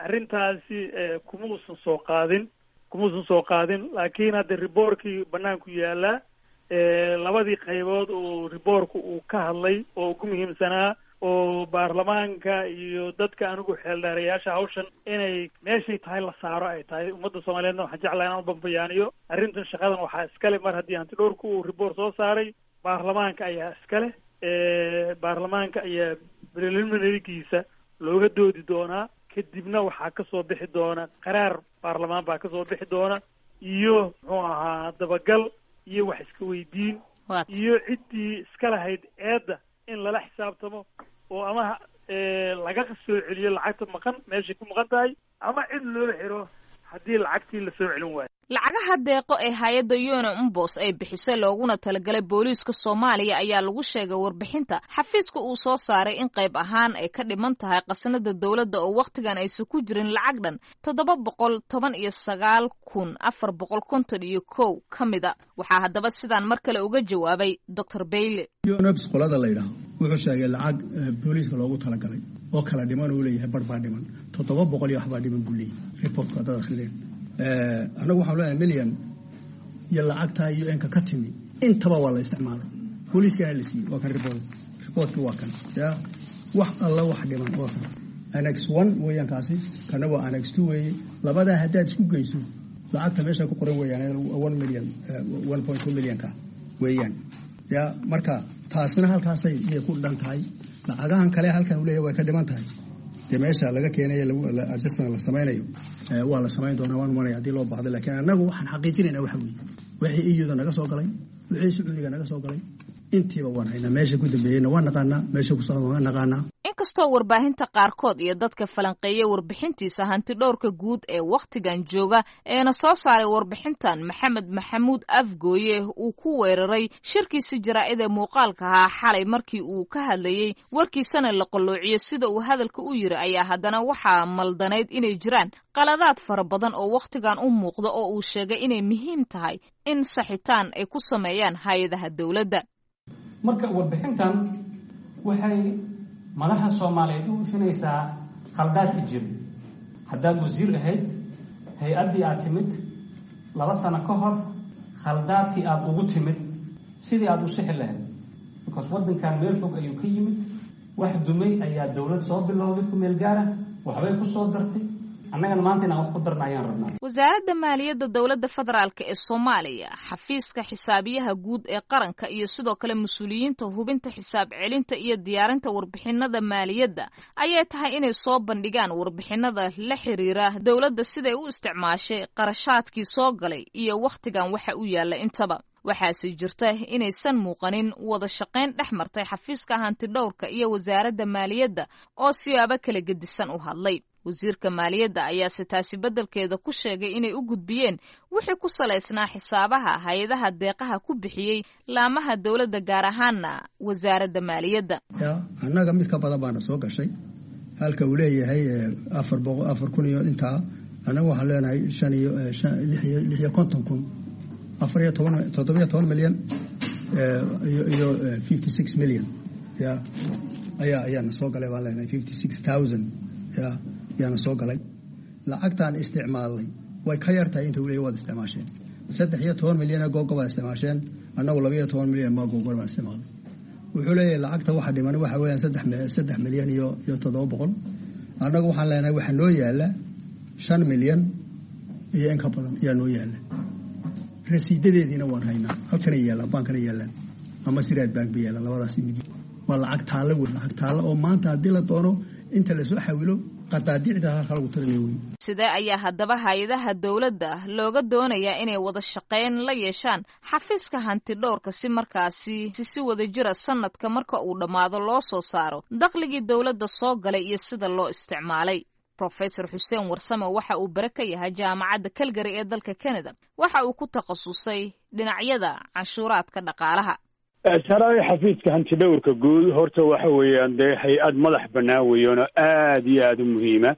Speaker 15: arrintaasi kuma uusan soo qaadin kuma uusan soo qaadin. Laakiin hadda reportkii banaanku yaalaa, labadii qaybood oo reportku uu ka hadlay oo ugu muhiimsanaa oo baarlamaanka iyo dadka anigu xeeldheerayaasha hawshan inay meeshay tahay la saaro ay tahay. Ummadda Soomaaliyeedna waxaan jeclahay inaan u bambayaaniyo arrintan. Shaqadan waxaa iskale, mar haddii hantidhowrku uu report soo saaray, baarlamaanka ayaa iskale. Baarlamaanka ayaa preliminarygiisa looga doodi doonaa, kadibna waxaa kasoo bixi doona qaraar baarlamaan baa kasoo bixi doona, iyo muxuu ahaa dabagal iyo wax iska weydiin iyo ciddii iska lahayd eedda in lala xisaabtamo oo ama laga soo celiyo lacagta maqan meeshay ku maqan tahay, ama cid loo xiro haddii lacagtii la soo celin waayo.
Speaker 13: Lacagaha deeqo ee hay-adda Yona Umbos ay bixisay looguna talagalay booliiska Soomaaliya ayaa lagu sheegay warbixinta xafiiska uu soo saaray in qayb ahaan ay ka dhiman tahay qasnada dowladda oo wakhtigan aysan ku jirin lacag dhan toddoba boqol toban iyo sagaal kun afar boqol konton iyo kow ka mida. Waxaa haddaba sidaan mar kale uga jawaabay Doctor Bayle.
Speaker 6: UNOPS qolada la yidhaaho wuxuu sheegay lacag booliiska loogu talagalay Oo kala dhiman uu leeyahay, bar baa dhiman, toddoba boqol iyo waxbaa dhiman buu leeyahay reportka haddaad akhrideen. Annagu waxaan leenahay milyan iyo lacagtaa U N-ka ka timi intaba waa la isticmaalay, booliiskana la siiyey. Waa kan report, reportkii waa kan. Ya wax alla wax dhiman waa kan, annex one weeyaan kaasi, kana waa annex two weeye. Labadaa haddaad isku geyso lacagta meesha ku qoran weeyaan one million, one point two millionka weeyaan. Ya marka taasna halkaasay iyay ku dhan tahay. Lacagahan kale halkan uu leeyahay way ka dhiman tahay, dee meesha laga keenayo adjustment la samaynayo waa la samayn doonaa, waan umanaya, haddii loo baahdo. Laakiin annagu waxaan xaqiijinaynaa waxa weeye wixii E U-da naga soo galay, wixii Sacuudiga naga soo galay, intiiba waan haynaa. Meesha ku dambeeyeyna waan naqaanaa, meesha ku socda waan naqaanaa.
Speaker 13: Inkastoo warbaahinta qaarkood iyo dadka falanqeeya warbixintiisa hanti dhowrka guud ee wakhtigan jooga eena soo saaray warbixintan, Maxamed Maxamuud Afgooye, uu ku weeraray shirkiisi jaraa'id ee muuqaalka ahaa xalay markii uu ka hadlayey, warkiisana la qalloociyo sida uu hadalka u yiri, ayaa haddana waxaa maldanayd inay jiraan qaladaad fara badan oo wakhtigan u muuqda oo uu sheegay inay muhiim tahay in saxitaan ay ku sameeyaan hay-adaha dowladda.
Speaker 14: Marka warbixintan waxay madaxa Soomaaliyeed u ifinaysaa khaldaadka jira. Haddaad wasiir ahayd hay-addii aad timid laba sano ka hor, khaldaadkii aada ugu timid sidii aada u sixi lahayd, because waddankan meel fog ayuu ka yimid. Wax dumay ayaa dowlad soo bilowday ku meel gaara, waxbay ku soo dartay, annagana maanta inaan wax ku darna ayaan rabnaa.
Speaker 13: Wasaaradda maaliyadda dowladda federaalk ee Soomaaliya, xafiiska xisaabiyaha guud ee qaranka iyo sidoo kale mas-uuliyiinta hubinta xisaab celinta iyo diyaarinta warbixinada maaliyadda ayay tahay inay soo bandhigaan warbixinada la xiriira dowladda siday u isticmaashay qarashaadkii soo galay iyo wakhtigan waxa u yaalla intaba. Waxaase jirta inaysan muuqanin wada shaqayn dhex martay xafiiska hantidhowrka iyo wasaaradda maaliyadda oo siyaabo kala gedisan u hadlay. Wasiirka maaliyadda ayaase taasi beddelkeeda ku sheegay inay u gudbiyeen wixii ku salaysnaa xisaabaha hay-adaha deeqaha ku bixiyey laamaha dowladda, gaar ahaana wasaaradda maaliyadda.
Speaker 6: Ya annaga mid ka badan baana soo gashay. Halka uu leeyahay afar boqo afar kun iyo intaa, annaga waxaan leenahay shan iyo lix iyo lix iyo konton kun, afar iyo toban, toddobiyo toban milyan iyo fifty six million ya ayaa ayaana soo galay baan leenahay, fifty six thousand ya yaana soo galay. Lacagtaan isticmaalnay way ka yartahay inta uu leeyahy waad isticmaasheen. Saddex iyo toban milyan ee googo baad isticmaasheen, annagu laba iyo toban milyan maa googo baan isticmaalnay. Wuxuu leeyahay lacagta waxa dhiman waxa weeyaan saddex saddex milyan iyo iyo toddoba boqol. Annagu waxaan leenahay waxaa noo yaala shan milyan iyo in ka badan ayaa noo yaala. Rasiidadeediina waan haynaa, halkanay yaallaan, baankana yaallaan ama Siraad Bank bay yaallaan. Labadaas mid waa lacag taalla wey, lacag taalla oo maanta haddii la doono inta lasoo xawilo qadaadiicda halka lagu tirinayo wey.
Speaker 13: Sidee ayaa haddaba hay-adaha dowladda looga doonayaa inay wada shaqayn la yeeshaan xafiiska hantidhowrka si markaasi si wada jira sanadka marka uu dhammaado loo soo saaro dakhligii dowladda soo galay iyo sida loo isticmaalay? Professor Xuseen Warsame waxa uu bare ka yahay Jaamacadda Calgary ee dalka Canada. Waxa uu ku takhasusay dhinacyada canshuuraadka dhaqaalaha.
Speaker 16: Saraay, xafiiska hantidhowrka guud horta waxa weeyaan dee hay-ad madax bannaan weeyaan oo aada iyo aada u muhiima,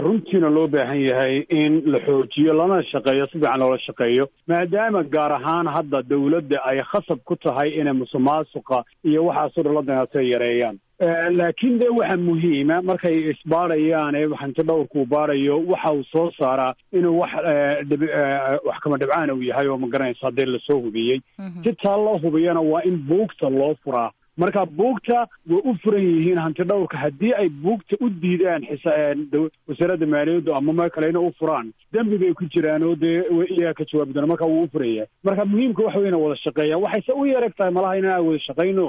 Speaker 16: runtiina loo baahan yahay in la xoojiyo lana shaqeeyo, si fiican loola shaqeeyo, maadaama gaar ahaan hadda dawladda ay khasab ku tahay inay musuqmaasuqa iyo waxaasoo dhan la danaatay yareeyaan. Laakiin de waxa muhiima markay isbaarayaan ee hanti dhowrku baarayo, waxa uu soo saaraa inuu wax wax kama dhibcaan uu yahay oo ma garanaysa haddii lasoo hubiyey. Si taa loo hubiyana waa in buugta loo furaa. Marka buugta way u furan yihiin hanti dhowrka. Haddii ay buugta u diidaan wasaaradda maaliyaddu ama meel kale inay u furaan, dembi bay ku jiraan oo dee iyaga ka jawaabi doona. Marka wuu u furaya. Marka muhiimka waxa wey ina wada shaqeeyaan. Waxayse u yareg tahay malaha inaan wada shaqayno.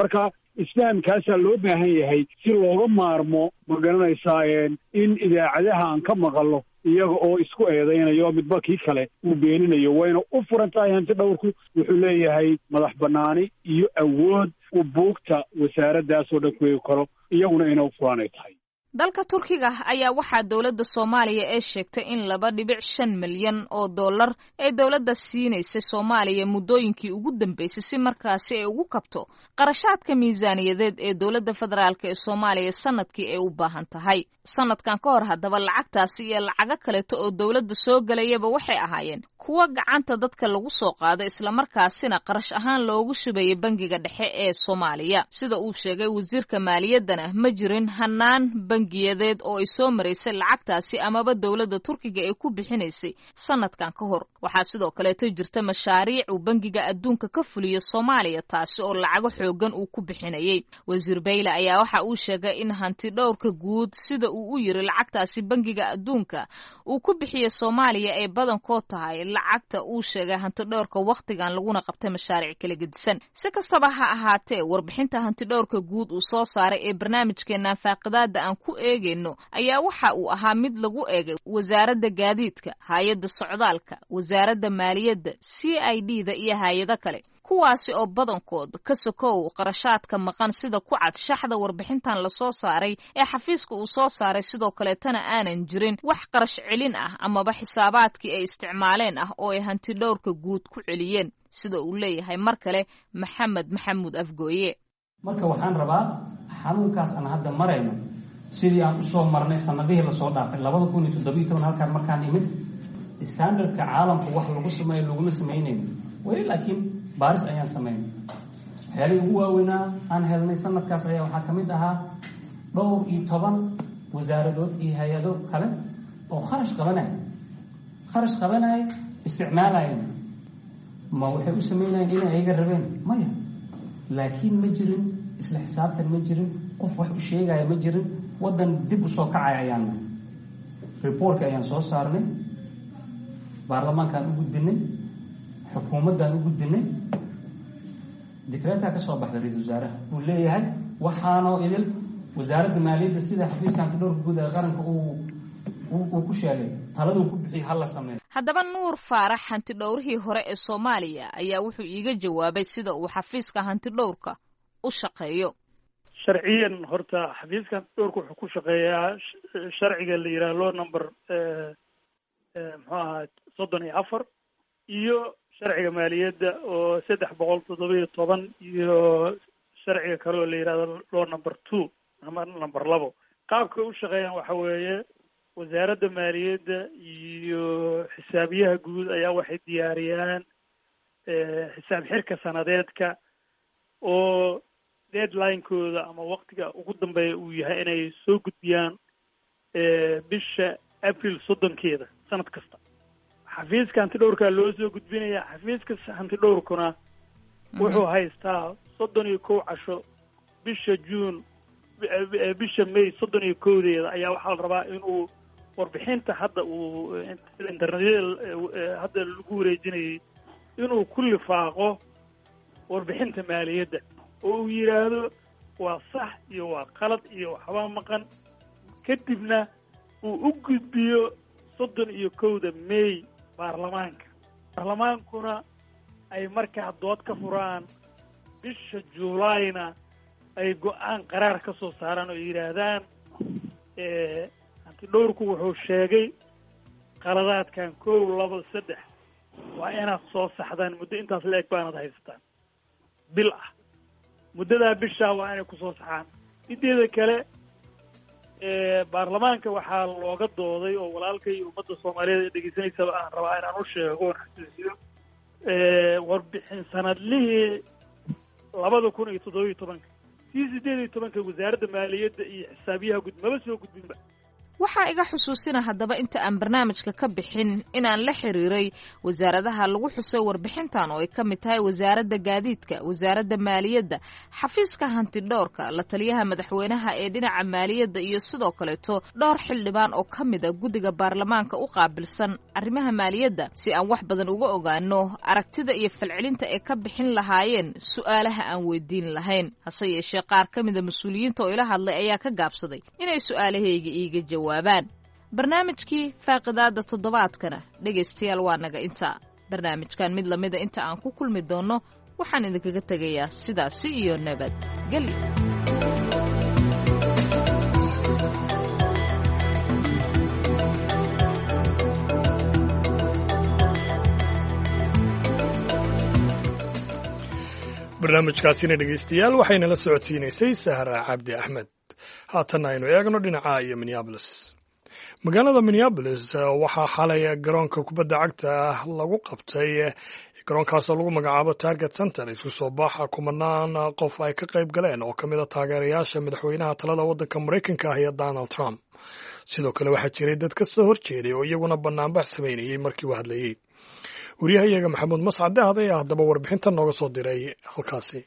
Speaker 16: Marka isfahamkaasaa loo baahan yahay si looga maarmo, ma garanaysaa, in idaacadaha aan ka maqalno iyaga oo isku eedaynayo, midba kii kale uu beeninayo. Wayna u furan tahay. Hanti dhowrku wuxuu leeyahay madax bannaani iyo awood uu buugta wasaaraddaasoo dhan ku eegi karo, iyaguna ina u furanay tahay.
Speaker 13: Dalka Turkiga ayaa waxaa dowladda Soomaaliya ee sheegtay in laba dhibic shan milyan oo dollar ay dowladda siinaysay Soomaaliya muddooyinkii ugu dambeysay si markaasi ay ugu kabto qarashaadka miisaaniyadeed ee dowladda federaalk ee Soomaaliya sanadkii ay u baahan tahay. Sanadkan ka hor haddaba lacagtaasi iyo lacago kaleeto oo dowladda soo gelayaba waxay ahaayeen Kuwa gacanta dadka lagu soo qaado islamarkaasina qarash ahaan loogu shubayay bangiga dhexe ee Soomaaliya. Sida uu sheegay wasiirka maaliyaddana, ma jirin hanaan bangiyadeed oo ay soo maraysay lacagtaasi amaba dowladda Turkiga ay ku bixinaysay sanadkan ka hor. Waxaa sidoo kaleeto jirta mashaariic uu Bangiga Adduunka ka fuliyo Soomaaliya, taasi oo lacago xoogan uu ku bixinayay. Wasiir Bayle ayaa waxa uu sheegay in hanti dhowrka guud, sida uu u yiri, lacagtaasi Bangiga Adduunka uu ku bixiyey Soomaaliya ay badankood tahay lacagta uu sheegay hantidhowrka wakhtigan, laguna qabtay mashaariic kala gedisan. Si kastaba ha ahaatee, warbixinta hantidhowrka guud uu soo saaray ee barnaamijkeenan faaqidaada aan ku eegayno ayaa waxa uu ahaa mid lagu eegay wasaaradda gaadiidka, hay-adda socdaalka, wasaaradda maaliyadda, C I D da iyo hay-ado kale, kuwaasi oo badankood ka sokow qarashaadka maqan sida ku cad shaxda warbixintan lasoo saaray ee xafiiska uu soo saaray, sidoo kaleetana aanan jirin wax qarash celin ah amaba xisaabaadkii ay isticmaaleen ah oo ay hantidhowrka guud ku celiyeen, sida uu leeyahay mar kale Maxamed Maxamuud Afgooye.
Speaker 14: Marka waxaan rabaa xanuunkaas aan hadda marayno sidii aan usoo marnay sanadihii lasoo dhaafay labada kun iyo toddobiyo toban. Halkaan markaan imid, standardka caalamka wax lagu sameeyo laguma samaynayn weli, laakiin baaris ayaan samaynay. Waxyaalihii ugu waaweynaa aan helnay sanadkaas ayaa waxaa ka mid ahaa dhowr iyo toban wasaaradood iyo hay-ado kale oo kharash qabanaya kharash qabanaya isticmaalayeen. Ma waxay u samaynayeen inay ayaga rabeen? Maya, laakiin ma jirin isla xisaabtan, ma jirin qof wax u sheegaya, ma jirin. Waddan dib u soo kacaya ayaan reportka ayaan soo saarnay, baarlamaankaan u gudbinay, xukuumaddaan u gudbinay. Dikreetaa ka soo baxday ra-isul wasaaraha uu leeyahay waxaanoo idil wasaaradda maaliyadda sida xafiiska hantidhowrka guud ee qaranka uu uu ku sheegay taladuu ku bixiyay hala sameeyo.
Speaker 13: Haddaba, Nuur Faarax, hantidhowrihii hore ee Soomaaliya, ayaa wuxuu iiga jawaabay sida uu xafiiska hantidhowrka u shaqeeyo.
Speaker 15: Sharciyan horta xafiiska hantidhowrka wuxuu ku shaqeeyaa sharciga la yidhaha law number muxuu ahaa soddon iyo afar, iyo sharciga maaliyadda oo saddex boqol toddoba iyo toban, iyo sharciga kale oo la yidhahdo law number two ama number labo. Qaabkay u shaqeeyaan waxa weeye, wasaaradda maaliyadda iyo xisaabiyaha guud ayaa waxay diyaariyaan xisaab xirka sanadeedka oo deadline-kooda ama waktiga ugu dambeeya uu yahay inay soo gudbiyaan bisha April soddonkeeda sanad kasta. Xafiiska hantidhowrkaa loo soo gudbinaya. Xafiiska hantidhowrkuna wuxuu haystaa soddon iyo kow casho. Bisha June, bisha May soddon iyo kowdeeda ayaa waxaa la rabaa inuu warbixinta hadda uu internetyada hadda lagu wareejinayay inuu ku lifaaqo warbixinta maaliyadda oo uu yidhaahdo waa sax iyo waa qalad iyo waxbaa maqan, kadibna uu u gudbiyo soddon iyo kowda May baarlamaanka. Baarlamaankuna ay markaa dood ka furaan, bisha Juulaayna ay go-aan qaraar ka soo saaraan oo yidhaahdaan hantidhowrku wuxuu sheegay qaladaadkan kow, laba, saddex, waa inaad soo saxdaan, muddo intaas la eg baanad haysataan, bil ah. Muddadaa bishaa waa inay kusoo saxaan. Mideeda kale, baarlamaanka waxaa looga dooday oo walaalkay ummadda Soomaaliyeed ee dhegeysanaysaba aan rabaa inaan u sheego oon xasuusiyo warbixin sanadlihii labada kun iyo toddoba iyo tobanka tii sideed iyo tobanka wasaaradda maaliyadda iyo xisaabiyaha guud maba soo gudbinba.
Speaker 13: Waxaa iga xusuusina haddaba inta aan barnaamijka ka bixin inaan la xiriiray wasaaradaha lagu xusay warbixintan oo ay ka mid tahay wasaaradda gaadiidka, wasaaradda maaliyadda, xafiiska hantidhowrka, la taliyaha madaxweynaha ee dhinaca maaliyadda iyo sidoo kaleeto dhowr xildhibaan oo ka mid a guddiga baarlamaanka u qaabilsan arrimaha maaliyadda, si aan wax badan uga ogaano aragtida iyo falcelinta ay ka bixin lahaayeen su'aalaha aan weydiin lahayn. Hase yeeshee, qaar ka mida mas-uuliyiinta oo ila hadlay ayaa ka gaabsaday inay su'aalahayga iiga jawaabaan. Barnaamijkii faaqidaada toddobaadkana, dhegaystayaal, waa naga intaa. Barnaamijkan mid lamida inta aan ku kulmi doonno, waxaan idinkaga tegayaa sidaasi iyo nabad gelyo.
Speaker 1: Barnaamijkaasina, dhegaystayaal, waxayna la socodsiinaysay Sahra Cabdi Axmed. Haatanna aynu eegno dhinaca iyo Minneabolis. Magaalada Minneapolis waxaa xalay garoonka kubadda cagta ah lagu qabtay, garoonkaasoo lagu magacaabo Target Center, isku soo baxa kumanaan qof ay ka qayb galeen oo ka mid a taageerayaasha madaxweynaha talada waddanka Maraykanka ah iyo Donald Trump. Sidoo kale waxaa jiray dad ka soo horjeeday oo iyaguna banaanbax samaynayey markii uu hadlayey. Wariyahayaga Maxamuud Mascade ayaa haddaba warbixintan nooga soo diray halkaasi.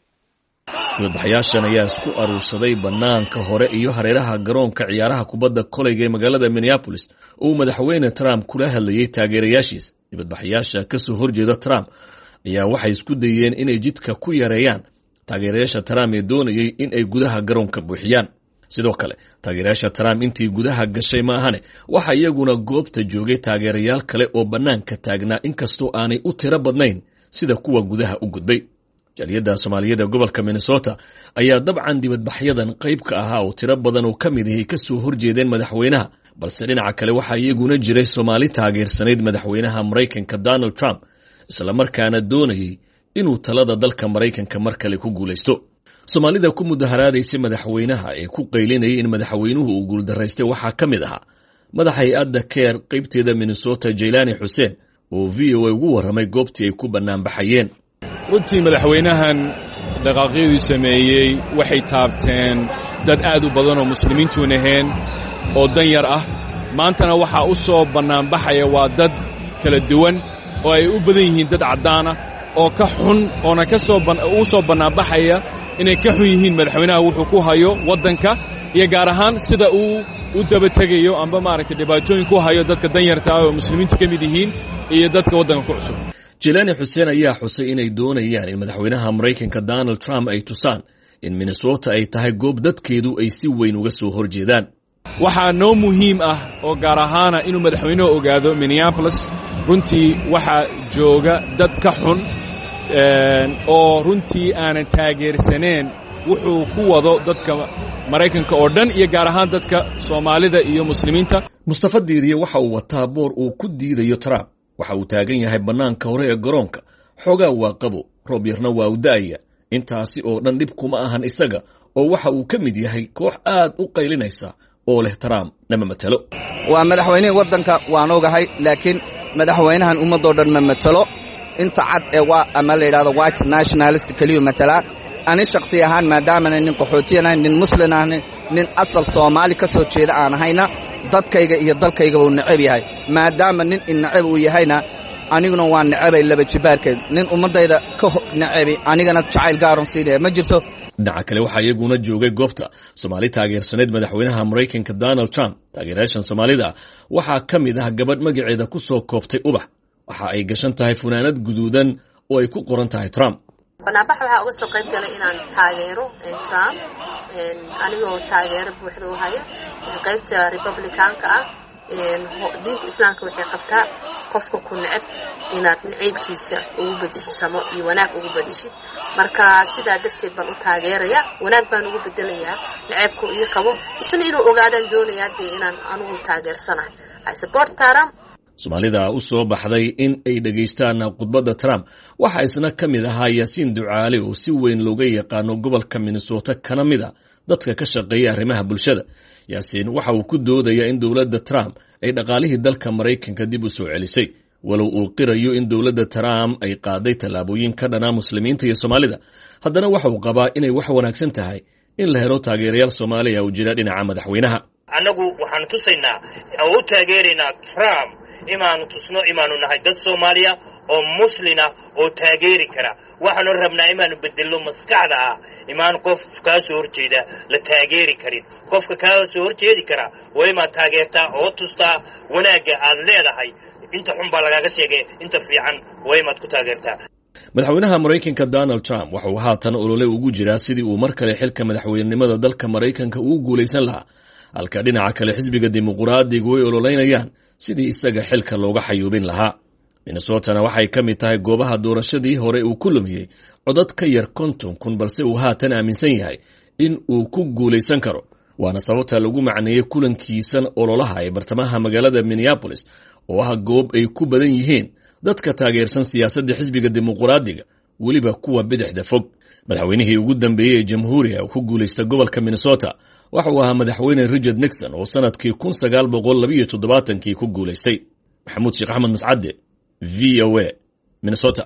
Speaker 17: Dibadbaxayaashan ayaa isku aruursaday bannaanka hore iyo hareeraha garoonka ciyaaraha kubadda koleyga ee magaalada Minneapolis oo uu madaxweyne Trump kula hadlayey taageerayaashiisa. Dibadbaxayaasha ka soo horjeeda Trump ayaa waxay isku dayeen inay jidka ku yareeyaan taageerayaasha Trump ee doonayey in ay gudaha garoonka buuxiyaan. Sidoo kale taageerayaasha Trump intii gudaha gashay ma ahane, waxaa iyaguna goobta joogay taageerayaal kale oo bannaanka taagnaa, inkastoo aanay u tiro badnayn sida kuwa gudaha u gudbay. Jaaliyadda Soomaaliyeed ee gobolka Minnesota ayaa dabcan dibadbaxyadan qayb ka ahaa, oo tiro badan oo ka mid ahi ka soo horjeedeen madaxweynaha, balse dhinaca kale waxaa iyaguna jiray Soomaali taageersanayd madaxweynaha Maraykanka Donald Trump, islamarkaana doonayey inuu talada dalka Maraykanka mar kale ku guulaysto. Soomaalida ku mudaharaadaysay madaxweynaha ee ku qaylinayay in madaxweynuhu uu guuldaraystay waxaa ka mid ahaa madaxa hay-adda CAIR qaybteeda Minnesota, Jaylaani Xuseen, oo V O A ugu warramay goobtii ay ku bannaanbaxayeen.
Speaker 18: Runtii madaxweynahan dhaqaaqyaduu sameeyey waxay taabteen dad aad u badan oo muslimiintuun ahayn oo dan yar ah. Maantana waxaa u soo bannaanbaxaya waa dad kala duwan oo ay u badan yihiin dad caddaan ah oo ka xun oona ka soo u soo bannaanbaxaya inay ka xun yihiin madaxweynaha wuxuu ku hayo waddanka iyo gaar ahaan sida uu u daba tegayo amba maaragtay dhibaatooyin ku hayo dadka danyarta ah oo muslimiintu ka mid yihiin iyo dadka waddanka ku cusub.
Speaker 17: Jelaani Xuseen ayaa xusay inay doonayaan in madaxweynaha Maraykanka Donald Trump ay tusaan in Minnesota ay tahay goob dadkeedu ay si weyn uga soo horjeedaan.
Speaker 18: Waxaa noo muhiim ah oo gaar ahaana inuu madaxweynuhu ogaado Minneapolis runtii waxaa jooga dad ka xun oo runtii aanan taageersaneen wuxuu ku wado dadka Maraykanka oo dhan iyo gaar ahaan dadka Soomaalida iyo muslimiinta.
Speaker 17: Mustafa Diiriye waxa uu wataa boor uu ku diidayo Trump. Waxa uu taagan yahay bannaanka hore ee garoonka. Xoogaa waa qabo, roob yarna waa u da'aya. Intaasi oo dhan dhib kuma ahan isaga, oo waxa uu ka mid yahay koox aad u qaylinaysa oo leh "Trump nama matalo."
Speaker 19: Waa madaxweynihii waddanka, waan ogahay, laakiin madaxweynahan ummaddoo dhan ma matalo. Inta cad ee waa ama la yidhahdo white nationalist keliyu matalaa. Ani shakhsi ahaan, maadaamana nin qaxootiyan ahayn, nin muslin ahna, nin asal Soomaali ka soo jeeda aan ahayna, dadkayga iyo dalkayga uu necab yahay. Maadaama nin inecab uu yahayna, aniguna waa necabay laba jibaarkeed. Nin ummaddayda ka necabi anigana jacayl gaaron siinaya ma jirto.
Speaker 17: Dhinaca kale waxaa iyaguna joogay goobta Soomaali taageersaneyd madaxweynaha Maraykanka Donald Trump. Taageerayaashan Soomaalida waxaa ka mid ah gabadh magaceeda ku soo koobtay Ubax. Waxa ay gashan tahay funaanad guduudan oo ay ku qoran tahay Trump.
Speaker 20: Banaanbax waxaa uga soo qayb galay inaan taageero Trump, anigoo taageero buuxda u haya qaybta Republicanka ah. Diinta Islaamka waxay qabtaa qofka ku neceb inaad naciibkiisa ugu bedeshid samo iyo wanaag ugu bedeshid. Marka sidaa darteed baan u taageeraya, wanaag baan ugu bedelayaa naceebku ii qabo, isna inuu ogaadaan doonayaa dee inaan anugu taageersanahay. I support Trump.
Speaker 17: Soomaalida u soo baxday in ay dhegaystaan khudbadda Trump waxaa isna ka mid ahaa Yaasiin Ducaale, oo si weyn looga yaqaano gobolka Minnesota, kana mid a dadka ka shaqeeya arrimaha bulshada. Yaasiin waxa uu ku doodayaa in dowladda Trump ay dhaqaalihii dalka Maraykanka dib u soo celisay, walow uu qirayo in dowladda Trump ay qaaday tallaabooyin ka dhanaa muslimiinta iyo Soomaalida. Haddana waxa uu qabaa inay wax wanaagsan tahay in la helo taageerayaal Soomaaliya oo jira dhinaca madaxweynaha.
Speaker 21: Annagu waxaanu tusaynaa oo u taageeraynaa Trump imaanu tusno imaanu nahay dad Soomaaliya oo muslina oo taageeri kara. Waxaanu rabnaa imaanu bedelno maskaxda ah imaan qof kaa soo horjeeda la taageeri karin. Qofka kaa soo horjeedi kara waa imaad taageertaa oo tustaa wanaagga aad leedahay. Inta xun baa lagaaga sheegay, inta fiican waa imaad ku taageertaa.
Speaker 17: Madaxweynaha Maraykanka Donald Trump waxa uu haatan olole ugu jiraa sidii uu mar kale xilka madaxweynenimada dalka Maraykanka ugu guulaysan lahaa, halka dhinaca kale xisbiga Dimuquraadigu ay ololeynayaan sidii isaga xilka looga xayuubin lahaa. Minnesotana waxay ka mid tahay goobaha doorashadii hore uu ku lumiyey codad ka yar konton kun, balse uu haatan aaminsan yahay in uu ku guulaysan karo. Waana sababta lagu macneeyey kulankiisan ololaha ee bartamaha magaalada Minneapolis, oo ah goob ay ku badan yihiin dadka taageersan siyaasadda xisbiga Dimuquraadiga, weliba kuwa bidixda fog. Madaxweynihii ugu dambeeyey ee jamhuuriga ku guulaysta gobolka Minnesota waxa uu ahaa madaxweyne Richard Nixon oo sannadkii kun sagaal boqol labiyo toddobaatankii ku guulaystay. Maxamuud Sheekh Axmed Mascadde, V O A, Minnesota.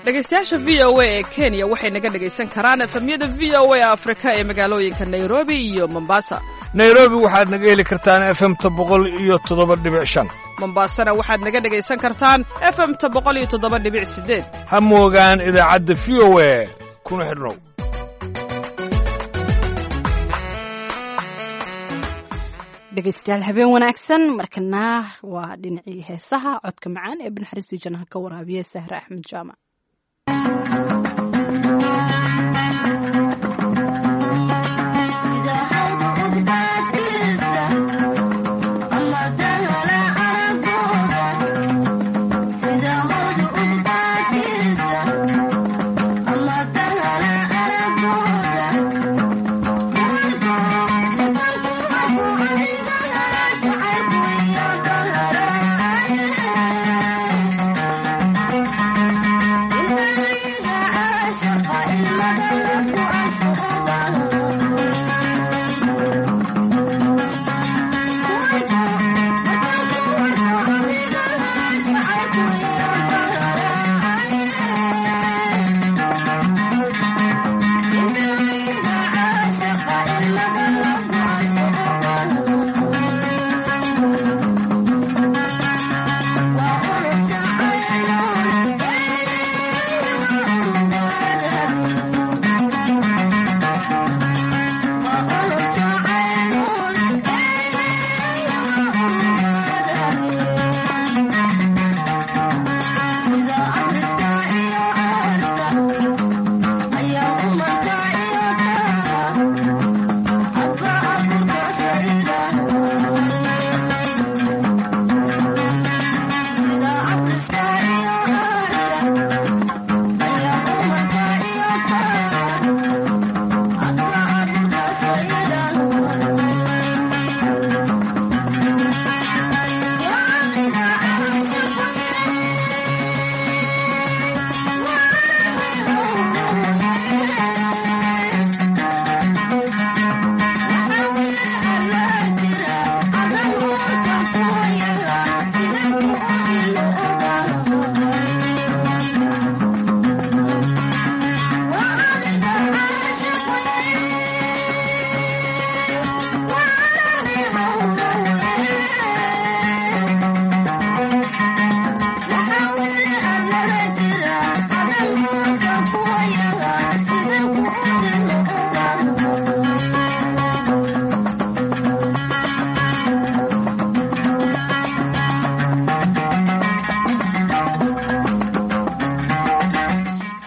Speaker 12: Dhegeystayaasha V O A ee Kenya waxay naga dhegaysan karaan efemyada V O A Afrika ee magaalooyinka Nairobi iyo Mombasa.
Speaker 8: Nairobi waxaad naga heli kartaan F M-ta boqol iyo toddoba dhibic shan.
Speaker 12: Mombasana waxaad naga dhegaysan kartaan F M-ta boqol iyo toddoba dhibic sideed.
Speaker 8: Ha moogaan idaacadda V O A, kuna xidhnow.
Speaker 2: Dhegeystayaal, habeen wanaagsan. Markana waa dhinacii heesaha. Codka macaan ee binaxariistii janaha ka waraabiya, Sahre Axmed Jaamac.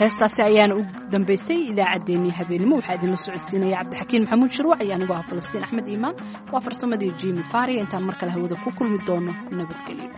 Speaker 2: Heestaasi ayaana u dambaysay idaacaddeenii habeenimo. Waxaa idinla socodsiinaya Cabdixakiin Maxamuud Shirwac iyo anigoo ah Falastiin Axmed Iimaan. Waa farsamadii Jimi Faria. Intaan mar kale hawada ku kulmi doono, nabadgelyo.